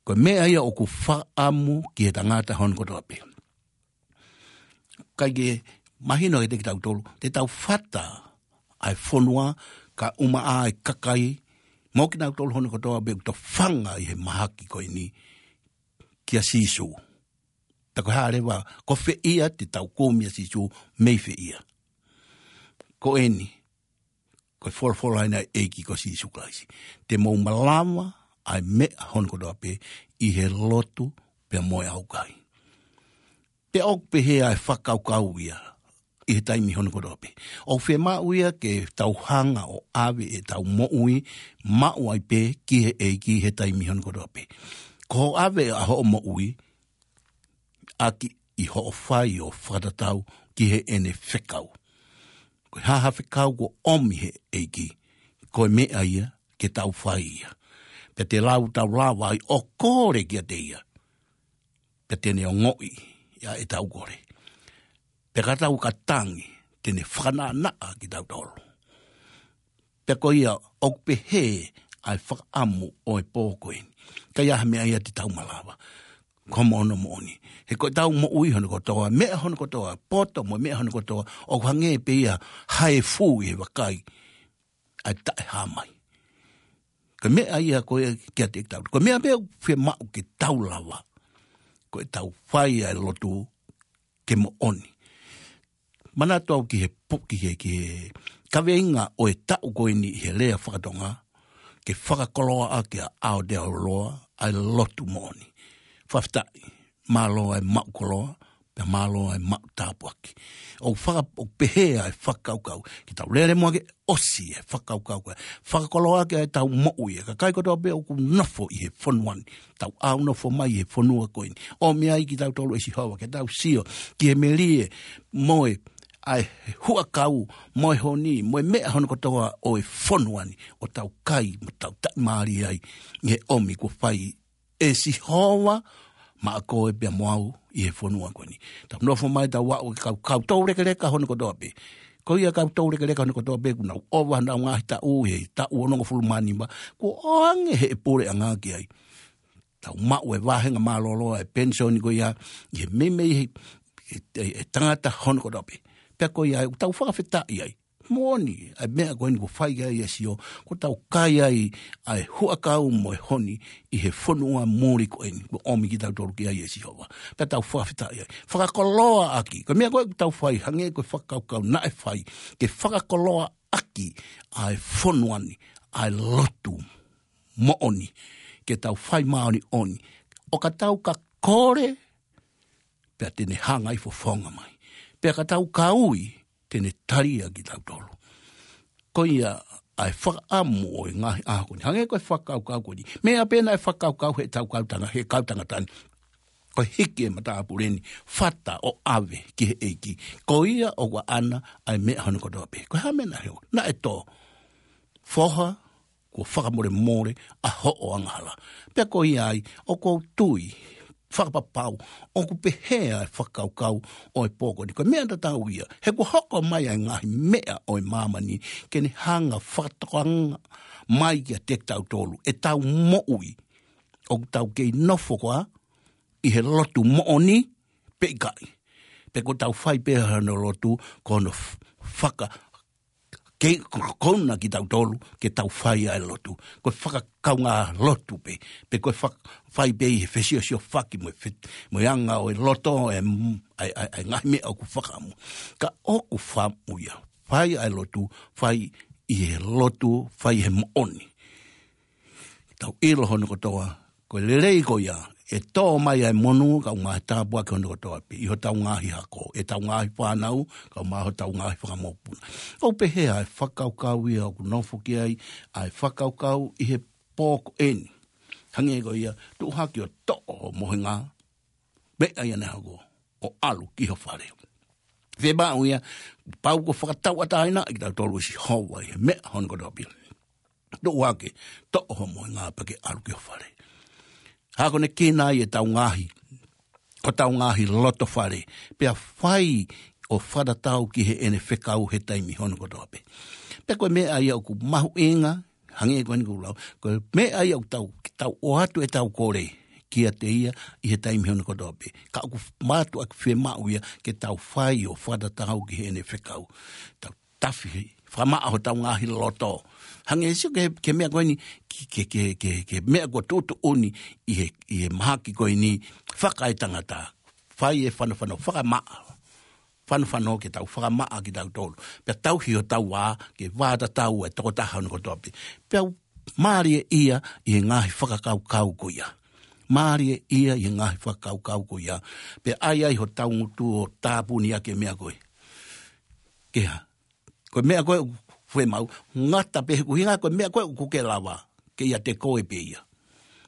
Ko e meʻa ia ʻoku fakaʻamu ki he tangata hono kotoa pē. Kae ke mahino kiate kitautolu, te tau fata ʻa e fonua kae ʻumaʻā ʻa e kakai, mo kinautolu hono kotoa pē ʻoku tofanga ʻi he mahaki ko eni kia Sīsū. Pea ko e hā leva, ko fē ia te tau kumi ʻa Sīsū mei fē ia. Ko eni, ko e folofola ʻa e ʻEiki ko Sīsū Kalaisi. Te mou malava ʻa e meʻa hono kotoa pē ʻi he lotu pea mo e ʻaukai. Pea ʻoku pehē ʻa e fakakaukau ia ʻi he taimi hono kotoa pē. ʻOku fiemaʻu ia ke tau hanga ʻo ʻave ʻetau moʻui, maʻu ai pē ki he ʻEiki he taimi hono kotoa pē. Ko hoʻo ʻave ʻa hoʻo moʻui, ʻaki ʻi hoʻo fai ʻo fakatatau ki heʻene fekau. Ko e hā ha fekau kuo ʻomi he ʻEiki, ko e meʻa ia ke tau fai ia. Pea te lau tau lava ai ʻo kole kiate ia. Pea te ne ongoʻi ia ʻetau kole. Pea ka tau ka tangi, te ne fakanaʻanaʻa kitautolu. Pea ko ia ʻoku pehē ʻa e fakaʻamu ʻo e pō ko eni. Ka ʻi ai ha meʻa ia te tau malava. Ko hono moʻoni. He ko ʻetau moʻui hono kotoa, meʻa hono kotoa, poto mo e meʻa hono kotoa, ʻoku hangē pē ia ha efu ʻi he vakai ʻa e taʻehāmai. Ko e meʻa ia ko ē kiate kitautolu. Ko e meʻa pē ʻoku fiemaʻu ke tau lava. Ko ʻetau fai ʻa e lotu ke moʻoni. Manatu au ki he pu-, ki he, ki he kaveinga ʻo e taʻu ko eni ʻi he lea fakatonga, ke fakakoloa ʻaki ʻa Aotearoa ʻa e lotu moʻoni. Fakafetaʻi, mālō ʻa e maʻu koloa, pea mālō ʻa e maʻu tāpuaki. ʻOku faka-, ʻoku pehē ʻa e fakakaukau. Ke tau lele muʻa ke ʻosi ʻa e fakakaukau ko ē. Fakakoloa ʻaki ʻa ʻetau moʻui ʻa e kakai kotoa pē ʻoku nofo ʻi he fonua ni. Tau ʻalu nofo mai ʻi he fonua ko eni. ʻOmi ai kitautolu ʻe Sihova, ke tau sio ki he melie mo e ʻa e huʻakau, mo e honi, mo e meʻa hono kotoa ʻo e fonua ni, ʻo tau kai, mo tau taʻimālie ai, ʻi he ʻomi kuo fai ʻe Sihova maʻa koe pea mo au ʻi he fonua ko eni. Tau nofo mai tau aʻu ki he kau, kau toulekeleka hono kotoa pē. Ko ia kau toulekeleka hono kotoa pē, kuo nau ʻova honau ngaahi taʻu he taʻu onongofulu mā nima, kuo ʻoange ʻe he puleʻanga ki ai. Tau maʻu e vāhenga mālōlō ʻa e penisoni ko ia, ʻi he meimei he, he, he, he tangata hono kotoa pē. Pea ko ia, ʻoku tau fakafetaʻi ai. Moʻoni, ʻa e meʻa ko eni kuo fai ai ʻa Sihova, kuo tau kai ai ʻa e huʻakau mo e honi ʻi he fonua muli ko eni, kuo ʻomi kitautolu ki ai ʻe Sihova. Pea tau fakafetaʻi ai. Fakakoloa ʻaki, ko e meʻa ko ē ʻoku tau fai, hangē ko e fakakaukau naʻe fai, ke fakakoloa ʻaki ʻa e fonua ni, ʻa e lotu moʻoni, ke tau fai māʻoniʻoni. ʻO ka tau ka kole, pea te ne hanga ʻi fofonga mai. Pea ka tau ka ui, te ne talia kitautolu. Ko ia, ʻa e fakaʻamu ʻo e ngaahi ʻaho ko eni. Hangē ko e fakakaukau ko eni. Meʻa pē naʻe fakakaukau he tau kau tanga, he kau tangata ni. Ko e hiki e matāpule ni, fata ʻo ʻave ki he ʻEiki. Ko ia ʻoku ʻaʻana ʻa e meʻa hono kotoa pē. Ko e hā e meʻa naʻe hoko? Naʻe tō. Foha, kuo fakamolemole ʻa hoʻo angahala. Pea ko ia ai, ʻoku ou tui, fakapapau, ʻoku pehē ʻa e fakakaukau ʻo e pō ko eni. Ko e meʻa tatau ia, he kuo hoko mai ʻa e ngaahi meʻa ʻo e māmani, ke ne hanga fakatokanga mai kiate kitautolu, ʻetau moʻui, ʻoku tau kei nofo koā ʻi he lotu moʻoni, pe ʻikai. Pe ko ʻetau fai pē hono lotu, ko hono f-, faka-, kei ko-, kona kitautolu, ke tau fai ʻa e lotu. Ko e fakakaungā lotu pē, pe ko e fak-, fai pē ʻi he fesiosiofaki mo e fe-, mo e anga ʻo e loto, ʻa e m-, ʻa e, ʻa e, ʻa e ngaahi meʻa ʻoku fakaʻamu. Ka ʻoku fakaʻamu ia. Fai ʻa e lotu, fai ʻi he lotu, fai he moʻoni. Tau ʻilo hono kotoa, ko e lelei ko ia, ʻe tō mai ʻa e monū, kae ʻumaʻā e tāpuaki hono kotoa pē, ʻi hotau ngaahi hako, ʻetau ngaahi fānau, kae ʻumaʻā hotau ngaahi fakamokopuna. ʻOku pehē ʻa e fakakaukau ia ʻoku nofo ki ai, ʻa e fakakaukau ʻi he pō ko eni. Hangē ko ia, tuʻu hake ʻo toʻo ho mohenga, meʻa ia naʻe hoko, ʻo ʻalu ki ho fale. Fiemaʻu ia, pau kuo fakatauʻatāinaʻi kitautolu ʻe Sihova ʻi he meʻa hono kotoa pē. Tuʻu hake, toʻo ho mohenga pea ke ʻalu ki ho fale. Hā ko ʻene kina ai ʻetau ngaahi, hotau ngaahi loto fale, pea fai ʻo fakatatau ki heʻene fekau he taimi hono kotoa pē. Pea ko e meʻa ia ʻoku mahuʻinga, hangē ko eni kuo u lau, ko e meʻa ia ʻoku tau, tau ʻoatu ʻetau kole kiate ia ʻi he taimi hono kotoa pē. Ka ʻoku mātuʻaki fiemaʻu ia ke tau fai ʻo fakatatau ki heʻene fekau. Tau tafi, fakamaʻa hotau ngaahi loto. Hangē ʻe Sīsū ki he, ki he meʻa ko eni, ki, ki, ki, ki, ki he meʻa kuo tuʻutuʻuni ʻi he, ʻi he mahaki ko eni, fakaetangata. Fai e fanofano, fakamaʻa. Fanofano ke tau fakamaʻa kitautolu. Pea tauhi hotau vā, ke vā tatau e tokotaha hono kotoa pē. Pea u mālieʻia ʻi he ngaahi fakakaukau ko ia. Mālieʻia ʻi he ngaahi fakakaukau ko ia. Pea ʻai ai hotau ngutu ʻo tāpuni ʻaki e meʻa ko ē. Ke hā? Ko e meʻa ko ē ʻoku fiemaʻu, ngata pē he ʻuhinga ko e meʻa ko ē ʻoku ke lava, ke ʻiate koe pē ia.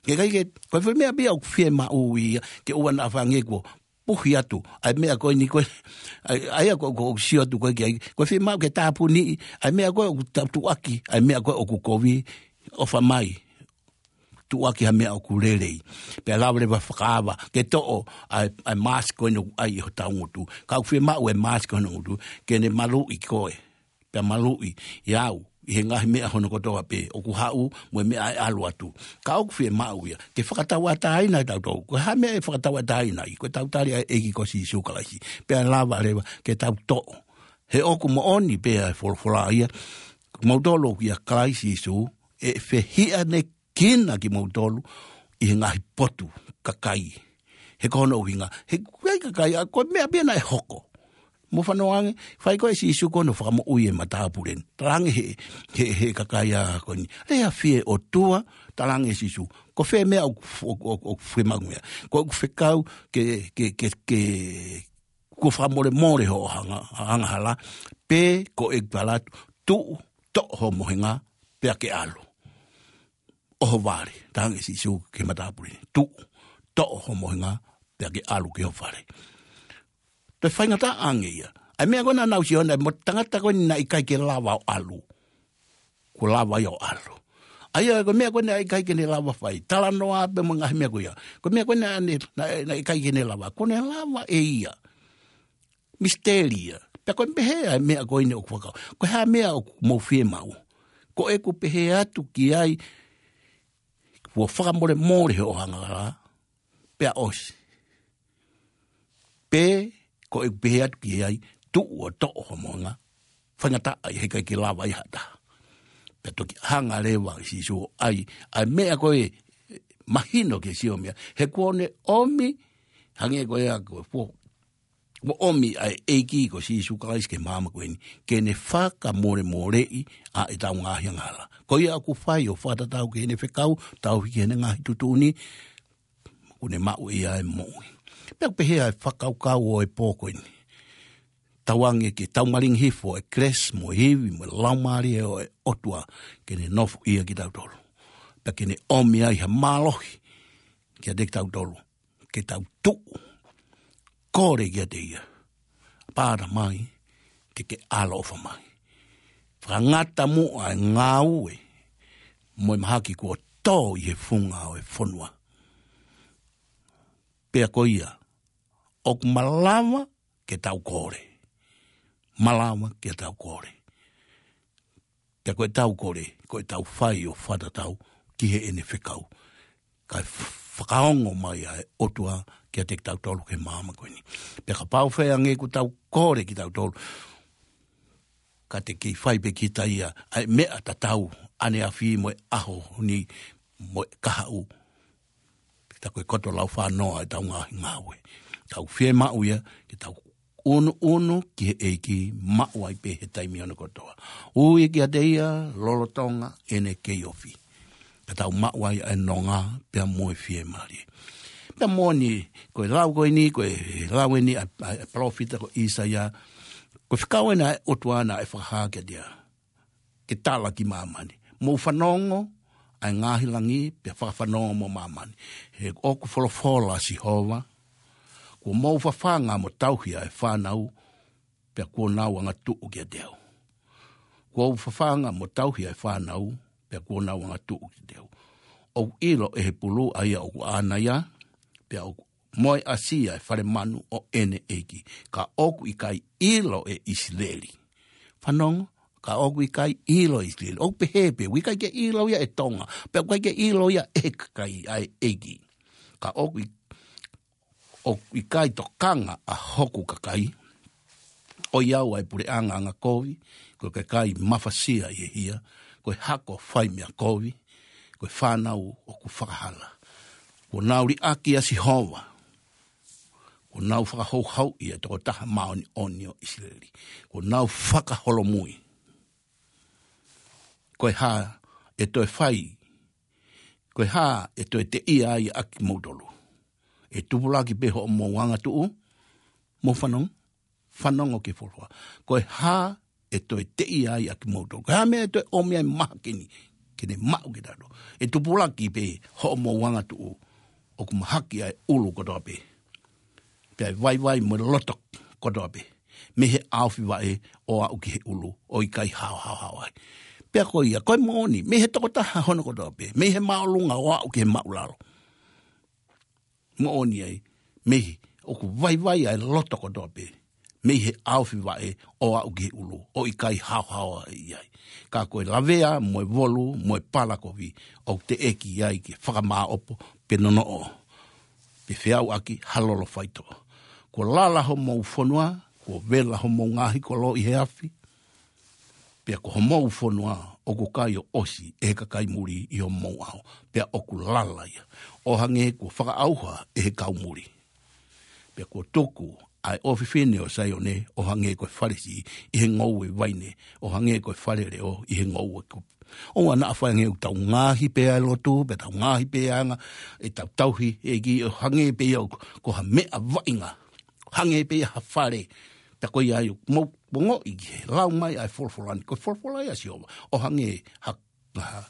Ke ʻikai ke, ko e fē meʻa pē ia ʻoku fiemaʻu ia, ke ʻoua naʻa fai ange kuo puhi atu, ʻa e meʻa ko eni ko ē, ʻa e, ʻa ia ko, ko, ʻoku sio atu ko ē ki ai, ko e fiemaʻu ke tāpuniʻi, ʻa e meʻa ko ē ʻoku tau tuʻaki, ʻa e meʻa ko ē ʻoku kovi, ʻofa mai. Tuʻaki ha meʻa ʻoku lelei. Pea lava leva fakaava, ke toʻo ʻa e, ʻa e mask ko eni ʻoku ʻai ʻi hotau ngutu. Ka ʻoku fiemaʻu e mask ko eni ngutu, ke ne maluʻi koe. Pea maluʻi ʻe au, ʻi he ngaahi meʻa hono kotoa pē, ʻoku haʻu, mo e meʻa ʻe ʻalu atu. Ka ʻoku fiemaʻu ia, ke fakatauʻatāina kitautolu. Ko e hā e meʻa ʻe fakatauʻatāinaʻi, ko e tau tali ʻa e ʻEiki ko Sīsū Kalaisi. Pea lava leva, ke tau toʻo. He ʻoku moʻoni pē ʻa e folofola ia, kimoutolu ʻoku ʻia Kalaisi Sīsū, ʻe fehiʻanekina kimoutolu ʻi he ngaahi potu kakai. He ko hono ʻuhinga, he ʻikai kakai, ʻa ko e meʻa pē ia naʻe hoko. Mou fanongo ange, fai ko ē ʻe Sīsū ko hono fakamoʻui e matāpule ni. Talaange he, he, he kakai ʻa ko eni. Lea fie ʻOtua, talaange ʻe Sīsū. Ko fē meʻa ʻoku, ʻoku, ʻoku, ʻoku fiemaʻu meʻa. Ko ʻeku fekau ke, ke, ke, ke, kuo fakamolemole hoʻo anga-, angahala, pe ko ʻeku tala atu, tuʻu, toʻo ho mohenga, pea ke ʻalu. ʻOho vale, talaange ʻe Sīsū ki he matāpule ni, tuʻu, toʻo ho mohenga, pea ke ʻalu ki ho fale. Toe faingataʻa ange ia. ʻA e meʻa ko ē naʻa nau sio ʻana, mo e tangata ko eni naʻe ʻikai ke lava ʻo ʻalu. Kuo lava ia ʻo ʻalu. ʻA ia, ko e meʻa ko ē naʻe ʻikai ke ne lava fai. Talanoa pē mo e ngaahi meʻa ko ia. Ko e meʻa ko ē naʻe, naʻe, naʻe ʻikai ke ne lava. Kuo ne lava ʻe ia. Misiteli ia. Pea ko e pehē ʻa e meʻa ko eni ʻoku fakau. Ko e hā e meʻa ʻoku mou fiemaʻu. Ko ʻeku pehē atu ki ai. Kuo fakamolemole hoʻo angahala. Pea ʻosi. Pe, ko ʻeku pehē atu ki ai, tuʻu ʻo toʻo ho mohenga, faingataʻa ia he ʻikai ke lava ia ha taha. Pea toki hanga leva ʻe Sīsū ʻo ʻai, ʻa e meʻa ko ē mahino ke sio meʻa, he kuo ne ʻomi, hangē ko ia ko e fuo, kuo ʻomi ʻa e ʻEiki ko Sīsū Kalaisi ki he māmani ko eni, ke ne fakamolemoleʻi ʻa ʻetau ngaahi angahala. Ko ia ʻoku fai ʻo fakatatau ki heʻene fekau, tauhi ki heʻene ngaahi tuʻutuʻuni, kuo ne maʻu ia e moʻui. Pea ʻoku pehē ʻa e fakakaukau ʻo e pō ko eni. tauange ke tau malingi hifo e kelesi mo e ivi mo e laumālie ʻo e ʻOtua ke ne nofoʻia kitautolu. Pea ke ne ʻomi ai ha mālohi kiate kitautolu. Ke tau tuʻu, kole kiate ia. Pāna mai, ke ke ʻaloʻofa mai. Fakangata muʻa e ngāue, mo e mahaki kuo tō ʻi he funga ʻo e fonua. Pea ko ia, ʻoku malava ke tau kole. Malava ke tau kole. Pea ko e tau kole, ko e tau fai ʻo fakatatau ki heʻene fekau. Kae fakaongo mai ʻa e ʻOtua kiate kitautolu ki he māmani ko eni. Pea kapau ʻe fai ange ʻoku tau kole kitautolu. Ka te kei fai pē kita ia, ʻa e meʻa tatau, ʻaneafi mo e ʻaho ni mo e kahaʻu. Pea ko e koto lau fānoa ʻetau ngaahi ngāue. Tau fiemaʻu ia, ke tau ʻunuʻunu ki he ʻEiki maʻu ai pē he taimi ʻo ne kotoa. Ui kiate ia, lolotonga ʻene kei ofi. Ka tau maʻu ai ʻa e nonga, pea mo e fiemālie. Pea moʻoni, ko e lau ko eni, ko e lau eni ʻa, ʻa, ʻa e palōfita ko ʻĪsaia, ko e fekau ena ʻa e ʻOtua naʻe fakahā kiate ia. Ke tala ki māmani. Mou fanongo, ʻa e ngaahi langi, pea fakafanongo mo māmani. He ʻoku folofola ʻa Sihova, kuo mou fafanga mo tauhi ʻa e fānau, pea kuo nau angatuʻu kiate au. Kuo u fafanga mo tauhi ʻa e fānau, pea kuo nau angatuʻu kiate au. ʻOku ʻilo ʻe he pulu ʻa ia ʻoku ʻaʻana ia, pea ʻoku mo e ʻasi ʻa e fale manu ʻo ʻene ʻEiki. Ka ʻoku ʻikai ʻilo ʻe ʻIsileli. Fanongo, ka ʻoku ʻikai ʻilo ʻe ʻIsileli. ʻOku pehē pē, ʻoku ʻikai ke ʻilo ia ʻe Tonga. Pea ʻoku ʻikai ke ʻilo ia ʻe he kakai ʻa e ʻEiki. Ka ʻoku ʻi-, ʻoku ʻikai tokanga ʻa hoku kakai. ʻOiauē ʻa e puleʻanga angakovi, ko e kakai mafasia ʻi he hia, ko e hako fai meʻa kovi, ko e fānau ʻoku fakahala. Kuo nau liʻaki ʻa Sihova, kuo nau fakahouhauʻi ʻa e tokotaha māʻoniʻoni ʻo ʻIsileli, kuo nau fakaholomui. Ko e hā ʻe toe fai, ko e hā ʻe toe teʻia ai ʻa kimoutolu. ʻE tupulaki pē hoʻomou angatuʻu, mou fanongo, fanongo ki he folofola. Ko e hā ʻe toe teʻia ai ʻa kimoutolu. Ko e hā meʻa ʻe toe ʻomi ai mahaki ni, ke ne maʻu kitautolu. ʻE tupulaki pē hoʻomou angatuʻu, ʻoku mahaki ʻa e ʻulu kotoa pē. Pea ʻe vaivai mo e loto kotoa pē. Mei he ʻaofi vaʻe ʻo aʻu ki he ʻulu, ʻo ʻikai haohaoa ai. Pea ko ia, ko e moʻoni, mei he tokotaha hono kotoa pē. Mei he māʻolunga ʻo aʻu ki he māʻulalo. Moʻoni ai, mei he ʻoku vaivai ʻa e loto kotoa pē. Mei he ʻaofi vaʻe ʻo aʻu ki he ʻulu, ʻo ʻikai haohaoa ʻi ai. Ka ko e lavea, mo e volu, mo e palakovi, ʻoku teʻeki ai ke fakamāʻopo, pe nonoʻo. Pe feauʻaki ha lolo faitoʻo. Kuo lala homou fonua, kuo vela homou ngaahi kolo ʻi he afi. Pea ko homou fonua ʻoku kai ʻo ʻosi ʻe he kakai muli ʻi homou ʻao. Pea ʻoku lala ia. ʻO hangē kuo fakaʻauha ʻe he kau muli. Pea kuo tuku ʻa e ʻofefine ʻo Saione ʻo hangē ko e fale siʻi ʻi he ngoue vaine. ʻO hangē ko e fale leʻo ʻi he ngoue kupu. ʻOua naʻa fai ange ʻoku tau ngaohi pē ʻa e lotu, pea tau ngaohi pē ʻa e anga, ʻetau tauhi ʻEiki ʻo hangē pē ia ʻoku, ko ha meʻa vaʻinga. Hangē pē ia ha fale. Pea ko ia ai ʻoku mou, mou ongoʻi ki he lau mai ʻa e folofola ni. Ko e folofola ia ʻa Sihova. ʻO hangē ha, ha.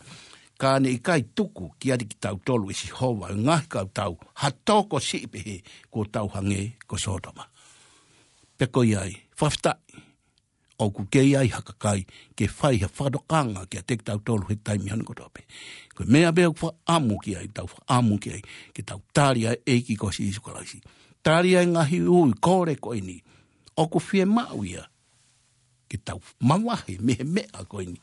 Ka ne ʻikai tuku kiate kitautolu ʻe Sihova, ʻe ngaahi kautau. Ha toko siʻi pehē, kuo tau hangē ko Sōtoma. Pea ko ia ai, fakafetaʻi. ʻOku kei ai ha kakai, ke fai ha fakatokanga kiate kitautolu he taimi ʻo ne kotoa pē. Ko e meʻa pē ʻoku fakaʻamu ki ai, tau fakaʻamu ki ai, ke tau tali ʻa e ʻEiki ko Sīsū Kalaisi. Tali ʻa e ngaahi ui kole ko eni. ʻOku fiemaʻu ia, ke tau mavahe mei he meʻa ko eni.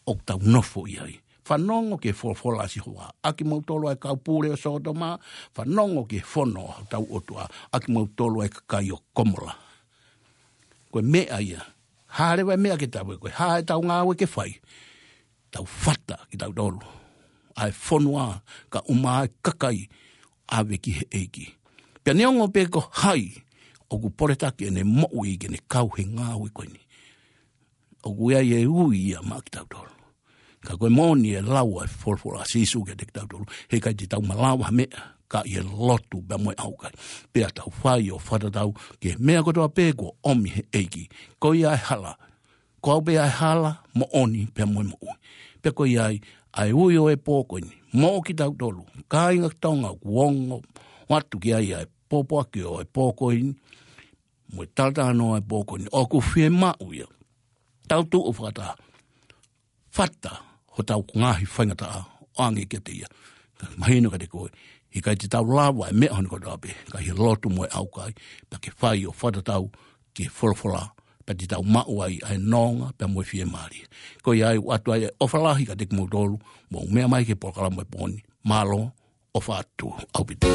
ʻOku tau nofo ʻi ai. Fanongo ki he folofola ʻa Sihova. ʻA kimoutolu ʻa e kau pule ʻo Sōtoma, fanongo ki he fono ʻa hotau ʻOtua. ʻA kimoutolu ʻa e kakai ʻo Komola. Ko e meʻa ia. Hā leva e meʻa ke tau, ko e hā ʻetau ngāue ke fai. Tau fata kitautolu. ʻA e fonua ka ʻuma ʻa e kakai ʻave ki he ʻEiki. Pea neongo pē ko hai ʻoku poletaki ʻene moʻui ke ne kau he ngāue ko eni. ʻOku ʻi ai e ui ia maʻa kitautolu. Ka ko e moʻoni e lau ʻa e folofola ʻa Sīsū kiate kitautolu. Heʻikai te tau malava ha meʻa. ka ʻi he lotu pea mo e ʻaukai. Pea tau fai ʻo fakatatau ki he meʻa kotoa pē kuo ʻomi he ʻEiki. Ko ia e hala, ko au pē ʻa e hala, moʻoni pea mo e moʻui. Pea ko ia ai, ʻa e ui ʻo e pō ko eni, mo kitautolu, kāinga Tonga, kuo ongo atu ki ai ʻa e pōpoaki ʻo e pō ko eni, mo e talatalanoa ʻo e pō ko eni, ʻoku fiemaʻu ia. Tau tuʻu fakataha, fata hotau ngaahi faingataʻa ʻo ʻange kiate ia. Ka mahino kiate koe, ʻikai te tau lava e meʻa hono kotoa pē, ka ʻi he lotu mo e ʻaukai, pea ke fai ʻo fakatatau ki he folofola, pea te tau maʻu ai ʻa e nonga, pea mo e fiemālie. Ko ia ai ʻoatu ai e ʻofa lahi kiate kimoutolu, mou meʻa mai ki he polokalama ʻo e pō ni, mālō, ʻofa atu ʻaupito.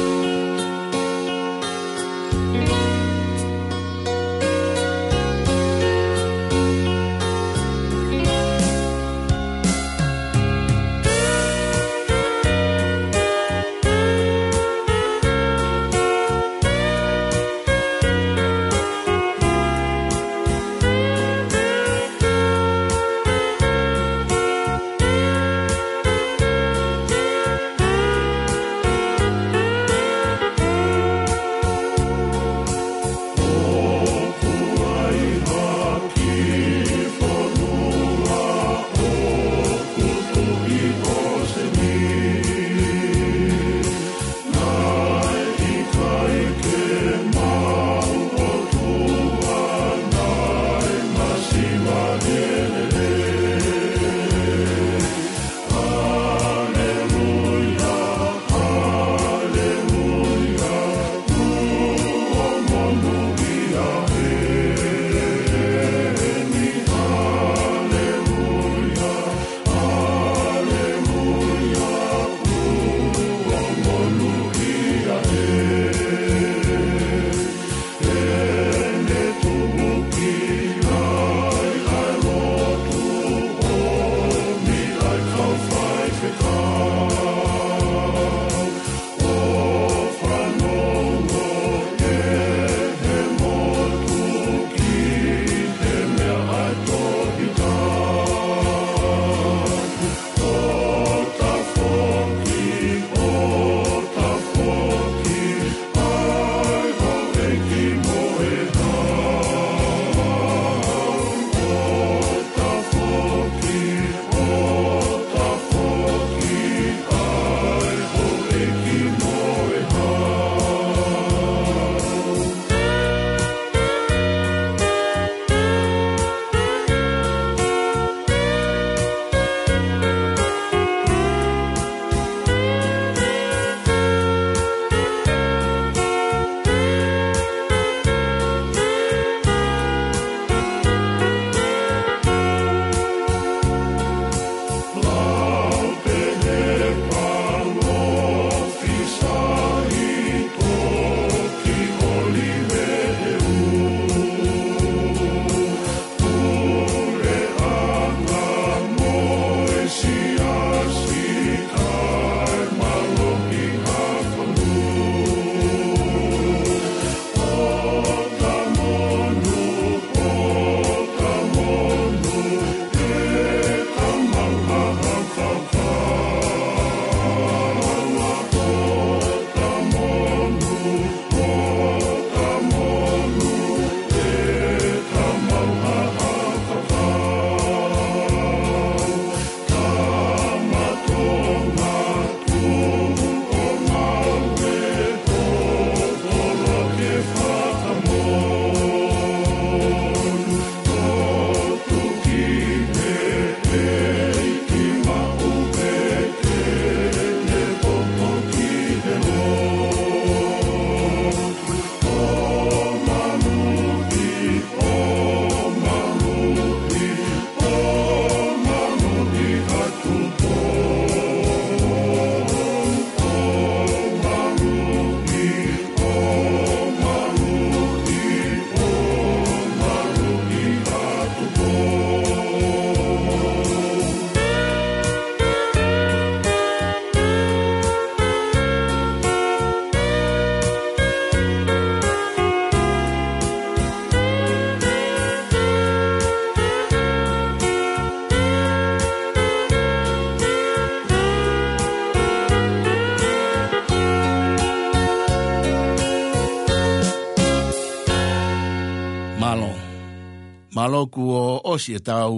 Mālō kuo ʻosi ʻetau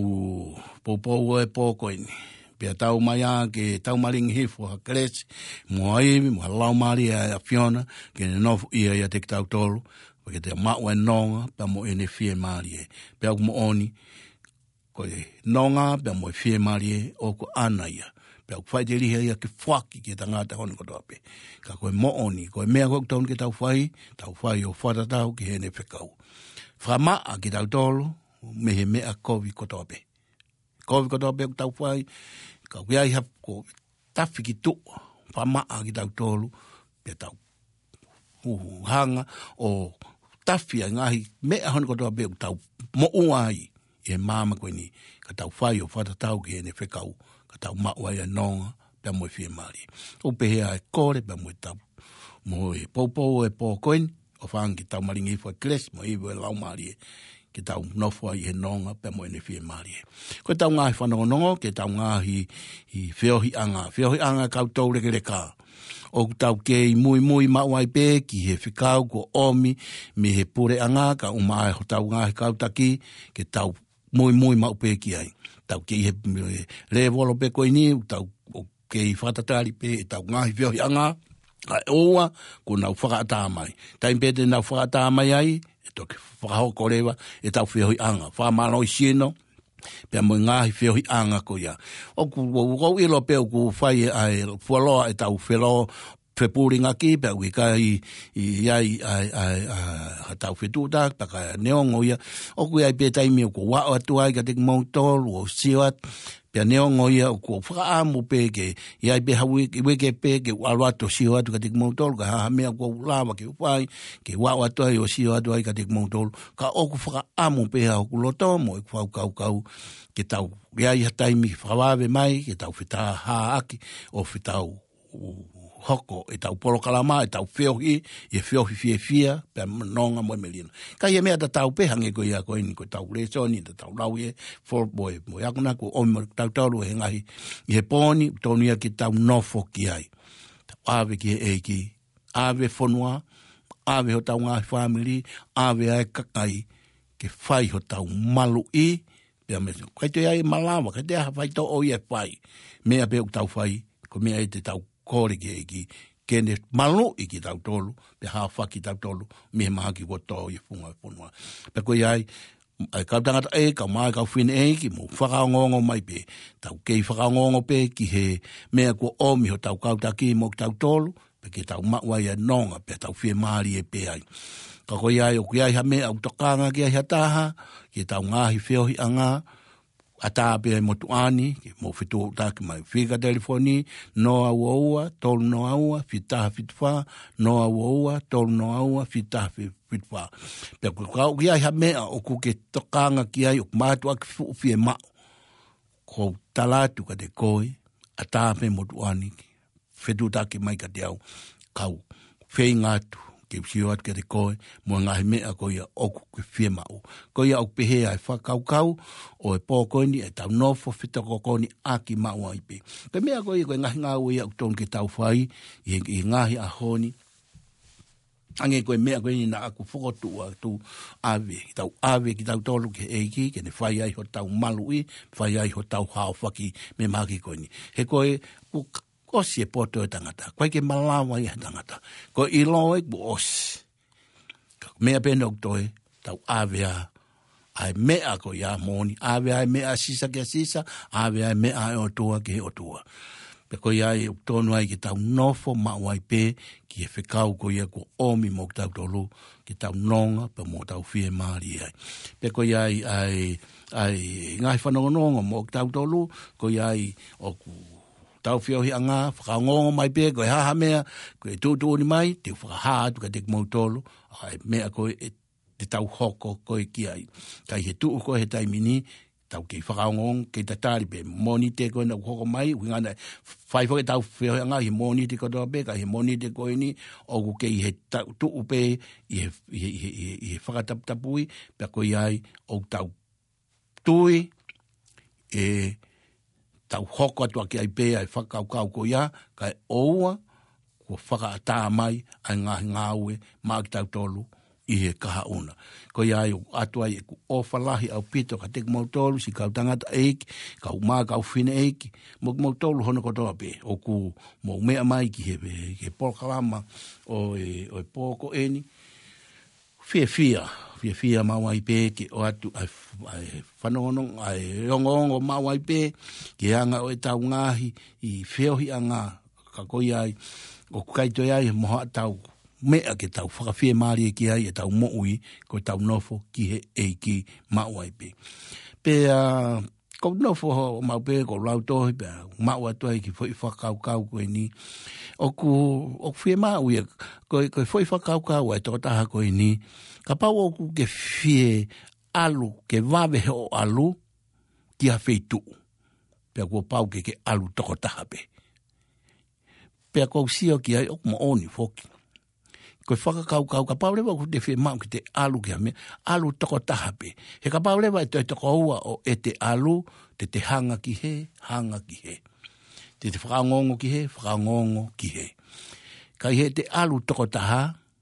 ʻū poupou ʻo e pō ko eni. Pea tau mai ā ke tau malingi hifo ha kelesi, mo ha ivi, mo ha laumālie ʻa e ʻAfiona, ke ne nofo ia ʻiate kitautolu, pea ke tau maʻu ʻa e nonga, pea mo ʻene fiemālie. Pea ʻoku moʻoni, ko e nonga, pea mo e fiemālie, ʻoku ʻana ia. Pea ʻoku faʻiteliha ia ke foaki ki he tangata hono kotoa pē. Ka ko e moʻoni, ko e meʻa ko ē ʻoku totonu ke tau fai, tau fai ʻo fakatatau ki heʻene fekau. Fakamaʻa kitautolu, mei he meʻa kovi kotoa pē. Kovi kotoa pē ʻoku tau fai, ka ʻoku ʻi ai ha ko tafi ki tuʻa, fakamaʻa kitautolu, pea tau ʻū hanga ʻo tafi ʻa e ngaahi meʻa hono kotoa pē ʻoku tau moʻua ai ʻi he māmani ko eni, ka tau fai ʻo fakatatau ki heʻene fekau, ka tau maʻu ai ʻa e nonga, pea mo e fiemālie. ʻOku pehē ʻa e kole, pea mo e tau, mo e poupou ʻo e pō ko eni, ʻofa ange ke tau malingi hifo ha kelesi, mo e ivi ʻo e laumālie, ke tau nofo ai he nonga, pea mo ʻene fiemālie. Ko ʻetau ngaahi fanongonongo, ke tau ngaahi ʻi feohiʻanga, feohiʻanga kau toulekeleka. ʻOku tau kei muimui maʻu ai pē ki he fekau kuo ʻomi mei he puleʻanga, kae ʻumaʻā hotau ngaahi kau taki, ke tau muimui maʻu pē ki ai. Tau kei he, he lēvolo pē ko eni, tau ʻoku kei fakatatali pē ʻetau ngaahi feohiʻanga, kae ʻoua kuo nau fakaʻatā mai. Taimi pē te nau fakaʻatā mai ai, ʻe toki fakahoko leva ʻetau feohiʻanga. Fakamālohisino, pea mo e ngaahi feohiʻanga ko ia. ʻOku, ʻoku ou ʻilo pē ʻoku fai ʻa e fuoloa ʻetau felō fepulingaki, pea ʻoku ʻikai ʻi ai ʻa e, ʻa e, ʻa e, ʻa e, ʻa e tau fetuʻutaki, pea ka neongo ia. ʻOku ʻi ai pē taimi ʻoku ou aʻu atu ai kiate kimoutolu, ʻo sio atu, pea neongo ia ʻoku ou fakaʻamu pē ke, ʻi ai pē ha uike, uike pē ke u ʻalu atu ʻo sio atu kiate kimoutolu, ka ʻi ai ha meʻa ʻoku ou lava ke u fai, ke u aʻu atu ai ʻo sio atu ai kiate kimoutolu, ka ʻoku fakaʻamu pē ʻa hoku loto mo ʻeku fakakaukau, ke tau ʻi ai ha taimi fakavave mai, ke tau fetahāʻaki, ʻo fetau hoko ʻetau polokalama, ʻetau feohi, ʻi he feohi fiefia, pea mo e nonga mo e melino. Ka ʻi he meʻa tatau pē hangē ko ia ko eni ko ʻetau lēsoni, tatau lau ʻi he fo-, mo e, mo e akonaki ʻoku ʻomi mo kitautolu he ngaahi, ʻi he pō ni, totonu ia ke tau nofo ki ai. Tau ʻave ki he ʻEiki, ʻave fonua, ʻave hotau ngaahi fāmili, ʻave ʻa e kakai, ke fai hotau maluʻi, pea mei he, ʻikai toe ʻi ai malava, ʻikai toe ʻi ai ha faitoʻo ia ʻe fai. Meʻa pē ʻoku tau fai, ko e meʻa ia te tau kole ki he ʻEiki, ke ne maluʻi kitautolu, pea haofaki kitautolu, mei he mahaki kuo tō ʻi he funga ʻo e fonua. Pea ko ia ai, ʻa e kau tangataʻeiki, kae ʻumaʻā e kau fineʻeiki, mou fakaongoongo mai pē, tau kei fakaongoongo pē ki he meʻa kuo ʻomi hotau kau taki mo kitautolu, pea ke tau maʻu ai ʻa e nonga, pea tau fiemālie pē ai. Ka ko ia ai, ʻoku ʻi ai ha meʻa ʻoku tokanga ki ai ha taha, ki heʻetau ngaahi feohiʻanga, ʻatā pē ʻa e motuʻa ni, ke mou fetuʻutaki mai. Fika telefoni, noa ua ua, tolu noa ua, fitu taha fitu fā, noa ua ua, tolu noa ua, fitu taha fitu fā. Pea ko e ka ʻoku ʻi ai ha meʻa ʻoku ke tokanga ki ai, ʻoku mātuʻaki fuʻu fiemaʻu, ʻoku ou tala atu kiate koe, ʻatā pē motuʻa ni, fetuʻutaki mai kiate au, kau feinga atu, ke u sio atu kiate koe, mo e ngaahi meʻa ko ia ʻoku ke fiemaʻu. Ko ia ʻoku pehē ʻa e fakakaukau ʻo e pō ko eni ʻetau nofo fetokoniʻaki maʻu ai pē. Ko e meʻa ko ia, ko e ngaahi ngāue ia ʻoku totonu ke tau fai, ʻi he, ʻi he ngaahi ʻaho ni, hangē ko e meʻa ko eni naʻa ku fokotuʻu atu, ʻave, tau ʻave kitautolu ki he ʻEiki, ke ne fai ai hotau maluʻi, fai ai hotau haofaki mei he mahaki ko eni. He ko e, ʻoku ʻosi e poto ʻo e tangata. ʻOku ʻikai ke malava ia ʻe he tangata. Ko e ʻilo ē kuo ʻosi. Ka ko e meʻa pē ʻoku toe, tau ʻave ā, ʻa e meʻa ko ia moʻoni, ʻave ā e meʻa ʻa Sisa kia Sisa, ʻave ā e meʻa ʻa e ʻOtua ki he ʻOtua. Pea ko ia ai ʻoku totonu ai ke tau nofo maʻu ai pē, ki he fekau ko ia kuo ʻomi mo kitautolu, ke tau nonga, pea mo tau fiemālie ai. Pea ko ia ai, ʻa e, ʻa e ngaahi fanongonongo mo kitautolu, ko ia ai ʻoku tau feohiʻanga, fakaongoongo mai pē, ko e hā ha meʻa, ko e tuʻutuʻuni mai, te u fakahā atu kiate kimoutolu, ʻa e meʻa ko ē te tau hoko ko ē ki ai. Ka ʻi he tuʻu ko ē he taimi ni, tau kei fakaongoongo, kei tatali pē, Mōnite ko ē naʻa ku hoko mai, ʻuhinga naʻe fai foki ʻetau feohiʻanga ʻi he Mōnite kotoa pē, ka ʻi he Mōnite ko eni, ʻoku kei he ta-, tuʻu pē, ʻi he, ʻi he, ʻi he, ʻi he, ʻi he fakataputapui, pea ko ia ai, ʻoku tau tui, ʻe tau hoko atu ʻaki ai pē ʻa e fakakaukau ko ia, kae ʻoua, kuo fakaʻatā mai, ʻa e ngaahi ngāue, maʻa kitautolu, ʻi he kahaʻu na. Ko ia ai ʻoku ʻoatu ai ʻeku ʻofa lahi ʻaupito kiate kimoutolu, siʻi kau tangataʻeiki, kau mā, kau fineʻeiki, mo kimoutolu hono kotoa pē ʻoku mou meʻa mai ki he, ki he polokalama ʻo e, ʻo e pō ko eni. Fiefia, fiefia maʻu ai pē ke ʻoatu ʻa e f-, ʻa e fanongonongo, ʻa e ongoongo maʻu ai pē ki he anga ʻo ʻetau ngaahi feohiʻanga, ka ko ia ai ʻoku ʻikai toe ʻi ai mo haʻatau meʻa ke tau fakafiemālie ki ai ʻetau moʻui, ko ʻetau nofo ki he ʻEiki maʻu ai pē. Pea ʻoku ou nofo maʻu pē ʻoku ou lau tohi pea maʻu atu ai ki he foʻi fakakaukau ko eni. ʻOku, ʻoku fiemaʻu ia, ko e, ko e foʻi fakakaukau ʻa e tokotaha ko eni. Kapau ʻoku ke fie ʻalu, ke vave hoʻo ʻalu ki ha feituʻu, pea kuo pau ke ke ʻalu tokotaha pē. Pea ʻoku ou sio ki ai ʻoku moʻoni foki. Ko e fakakaukau, kapau leva ʻoku te fiemaʻu ke te ʻalu ki ha meʻa, ʻalu tokotaha pē. He kapau leva ʻe toe toko ua ʻo ʻete ʻalu, te te hanga ki hē, hanga ki hē. Te te fakaongoongo ki hē, fakaongoongo ki hē. Ka ʻi heʻete ʻalu tokotaha,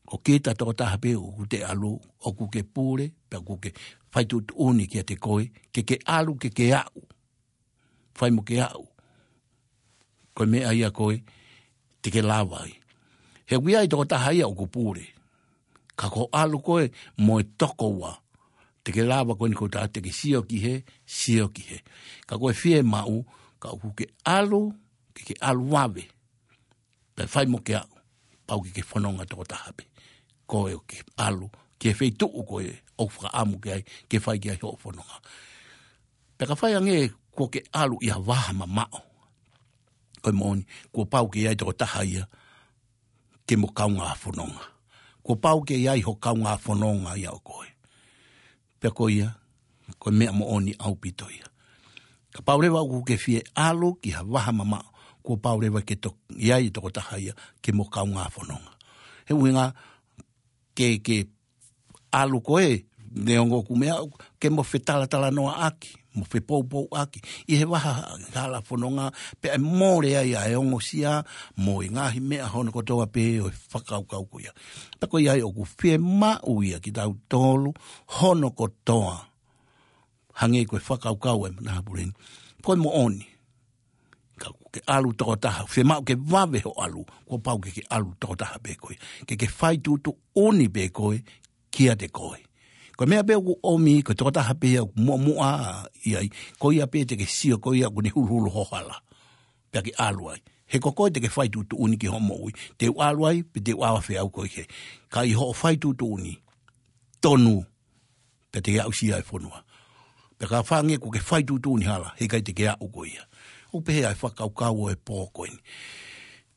ʻo kita tokotaha pē ʻoku te ʻalu, ʻoku ke pule, pea ʻoku ke fai tuʻutuʻuni kiate koe, ke ke ʻalu, ke ke aʻu. Fai mo ke aʻu. Ko e meʻa ia ko ē te ke lava ai. He ʻoku ʻi ai e tokotaha ia ʻoku pule. Ka ko e ʻalu ko ē mo e toko ua, te ke lava ko eni ko tā te ke sio ki hē, sio ki hē. Ka ko e fiemaʻu, ka ʻoku ke ʻalu, ke ke ʻalu vave. Pea fai mo ke aʻu, pau ke ke fononga tokotaha pē. Ko e ʻoku ke ʻalu ki he feituʻu ko ē ʻoku fakaʻamu ki ai, ke fai ki ai hoʻo fononga. Pea ka fai ange kuo ke ʻalu ʻi ha vaha mamaʻo, ko e moʻoni, kuo pau ke ʻi ai tokotaha ia ke mo kaungā fononga. Kuo pau ke ʻi ai ho kaungā fononga ia ʻo koe. Pea ko ia, ko e meʻa moʻoni ʻaupito ia. Kapau leva ʻoku ke fie ʻalu ki ha vaha mamaʻo, kuo pau leva ke to-, ʻi ai tokotaha ia ke mo kaungā fononga. He ʻuhinga ke, ke ʻalu ko ē, neongo ʻoku meʻa, ke mo fetalatalanoaʻaki, mo fepoupouʻaki ʻi he vaha hala fononga, pea ʻe mole ai ʻa e ongosia mo e ngaahi meʻa hono kotoa pē ʻo e fakakaukau ko ia. Pea ko ia ai ʻoku fiemaʻu ia kitautolu hono kotoa. Hangē ko e fakakaukau ʻa e Manahapule ni. Ko e moʻoni. Ka ʻoku ke ʻalu tokotaha, fiemaʻu ke vave hoʻo ʻalu, kuo pau ke ke ʻalu tokotaha pē koe. Ke ke fai tuʻutuʻuni pē koe, kiate koe. Ko e meʻa pē ʻoku ʻomi, ko e tokotaha pē ia ʻoku muʻomuʻa ʻi ai, ko ia pē te ke sio, ko ia ʻoku ne huluhulu ho hala. Pea ke ʻalu ai. He ko koe te ke fai tuʻutuʻuni ki hoʻo moʻui. Te u ʻalu ai, pe te u ʻalu ʻo afe au koe ki hē. Ka ʻi hoʻo fai tuʻutuʻuni tonu, pea te ke aʻusia e fonua. Pea ka fai ange kuo ke fai tuʻutuʻuni hala, heʻikai te ke aʻu koe ia. ʻOku pehē ʻa e fakakaukau ʻo e pō ko eni.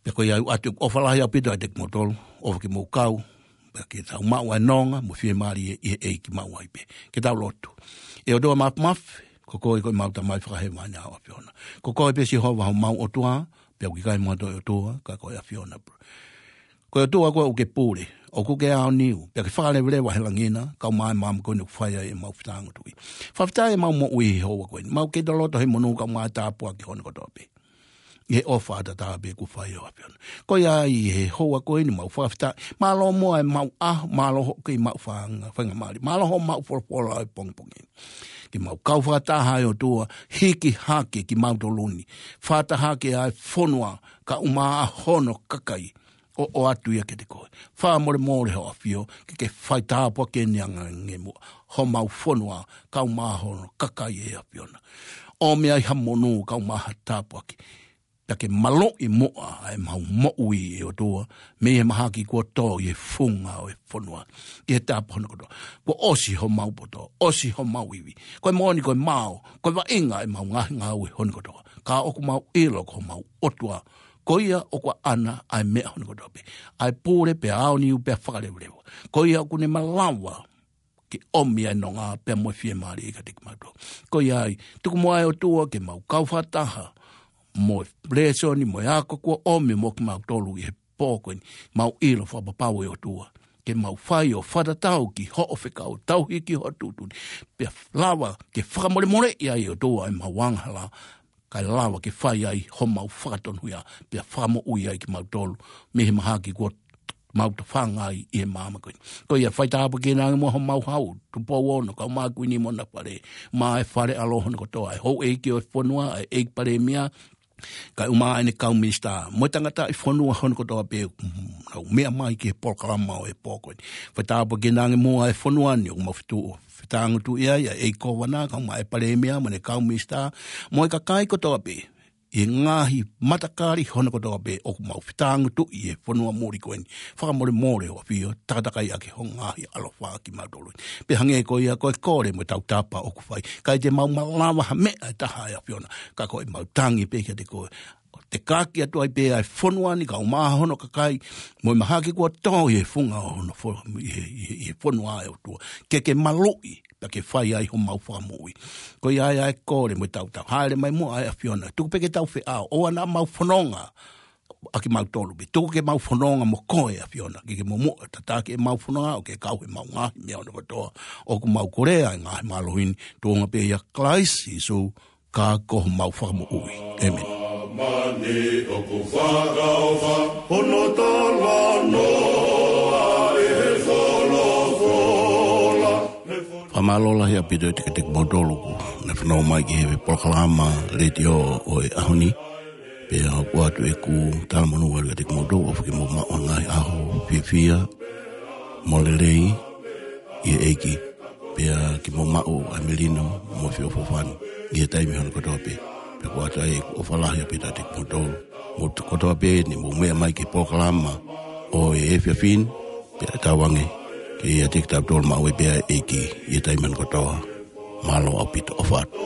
Pea ko ia ʻoku ʻoatu ʻofa lahi ʻaupito kiate kimoutolu, ʻofa ke mou kau, pea ke tau maʻu ʻa e nonga mo e fiemālie ʻi he ʻEiki maʻu ai pē. Ke tau lotu. ʻE ʻOtua Māfimafi, ko koe ko ʻemau Tamai Fakahēvani ʻa ho ʻAfiona. Ko koe pē Sihova homau ʻOtua, pea ʻoku ʻikai mo ha toe ʻOtua, ka ko e ʻAfiona pē. Ko e ʻOtua koe ʻoku ke pule, ʻoku ke aoniu, pea ke fakaleveleva he langi na, kae ʻumaʻā e maama ko eni ʻoku fai ai ʻemau fetaʻanga tuʻi. Fakafetaʻi ʻemau moʻui he houa ko eni, mau kei loloto he monū kae ʻumaʻā e tāpuaki hono kotoa pē. ʻI he ʻofa ʻataʻatā pē kuo fai ʻe ho ʻAfiona. Ko ia ai he houa ko eni mau fakafetaʻi, mālō muʻa ʻemau ʻaho, mālō hoʻo kei maʻu fainga, faingamālie, mālō hoʻo maʻu folofola ʻo e pongipongi ni. Ke mau kau fakataha ʻe ʻOtua, hiki hake kimautolu ni. Fakataha hake ʻa e fonua, kae ʻumaʻā hono kakai, ʻo ʻoatu ia kiate koe. Fakamolemole ho ʻAfio, ke ke fai tāpuaki eni ange muʻa homau fonua, kae ʻumaʻā hono kakai ʻe ʻAfiona. ʻOmi ai ha monū, kae ʻumaʻā ha tāpuaki. Pea ke maloʻi muʻa ʻa ʻemau moʻui ʻe ʻOtua, mei he mahaki kuo tō ʻi he funga ʻo e fonua, ʻi he tāpuaki hono kotoa. Kuo ʻosi homau poto, ʻosi homau ivi. Ko e moʻoni ko e mao, ko e vaʻinga ʻemau ngaahi ngāue hono kotoa. Ka ʻoku mau ʻilo ko homau ʻOtua, ko ia ʻoku ʻaʻana ʻa e meʻa hono kotoa pē. ʻA e pule pea aoniu pea fakaleveleva. Ko ia ʻoku ne malava ke ʻomi ʻa e nonga pea mo e fiemālie kiate kimautolu. Ko ia ai, tuku muʻa ʻe ʻOtua ke mau kau fakataha mo e lēsoni, mo e ako kuo ʻomi mo kimautolu ʻi he pō ko eni. Mau ʻilo fakapapau ʻe ʻOtua, ke mau fai ʻo fakatatau ki hoʻo fekau, tauhi ki hoʻo tuʻutuʻuni. Pea lava ke fakamolemoleʻi ai ʻe ʻOtua ʻemau angahala, kae lava ke fai ai homau fakatonuhia, pea fakamoʻui ai kimautolu mei he mahaki kuo mau tofanga ai ʻi he māmani ko eni. Ko ia, faitāpuekina ange muʻa homau hau, Tupou Ono, kau mai Kuini mo Nafale, mo e fale ʻaloʻofa hono kotoa, ʻa e houʻeiki ʻo e fonua, ʻa e ʻEiki Palēmia, kae ʻumaʻā ʻene kau minisitā, mo e tangataʻi fonua hono kotoa pē, mm, nau meʻa mai ki he polokalama ʻo e pō ko eni. Faitāpuekina ange muʻa e fonua ni, ʻoku mau fetuʻu, fetāngutuʻi ai, ʻa e ʻEiki Kōvana, kau mai e Palēmia, mo ʻene kau minisitā, mo e kakai kotoa pē, ʻi he ngaahi matakali hono kotoa pē ʻoku mau fetāngutuʻi ʻi he fonua muli ko eni. Fakamolemole ʻo ʻAfio, takatakai ʻaki ho ngaahi ʻaloʻofa kimautolu. Pea hangē ko ia ko e kole mo e tautapa ʻoku fai. ʻIkai te mau malava ha meʻa ʻe taha ʻe ʻAfiona. Ka ko ʻemau tangi pē kiate koe. Te kaki atu ai pē ʻa e fonua ni kae ʻumaʻā hono kakai. Mo e mahaki kuo tō ʻi he funga ʻo hono fo-, ʻi he, ʻi he, ʻi he fonua ʻa e ʻOtua. Ke ke maluʻi, pea ke fai ai homau fakamoʻui. Ko ia ai ʻa e kole mo e tautapa. Hāʻele mai muʻa ʻa e ʻAfiona. Tuku pē ke tau feʻao. ʻOua naʻa mau fononga ʻa kimautolu pē. Tuku ke mau fononga mo koe ʻAfiona. Ke ke momoʻa tataki ʻemau fononga ʻo ke kau he mau ngaahi meʻa hono kotoa. ʻOku mau kole ʻa e ngaahi mālohi ni. Tuʻunga pē ʻia Kalaisi Sīsū, ka ko homau fakamoʻui. ʻĒmeni. Mani ʻoku fakaʻofa hono talanoa ʻe he folofola. Fakamālō lahi ʻaupito atu kiate kimoutolu kuo nau fanongo mai ki he polokalama letiō ʻo e ʻaho ni. Pea ʻoku ʻoatu ʻeku talamonū atu kiate kimoutolu ʻofa ke mou maʻu ha ngaahi ʻaho fiefia mo lelei ʻi he ʻEiki. Pea ke mou maʻu ʻa e melino mo e feʻofoʻofani ʻi he taimi hono kotoa pē. Pea ʻoku ʻoatu ai ʻeku ʻofa lahi ʻaupito kiate kimoutolu. Mou kotoa pē ni mou meʻa mai ki he polokalama ʻo e efiafi ni, pea tauange ke ʻiate kitautolu maʻu ai pē ʻa e ʻEiki ʻi he taimi hono kotoa. Mālō ʻaupito, ʻofa atu.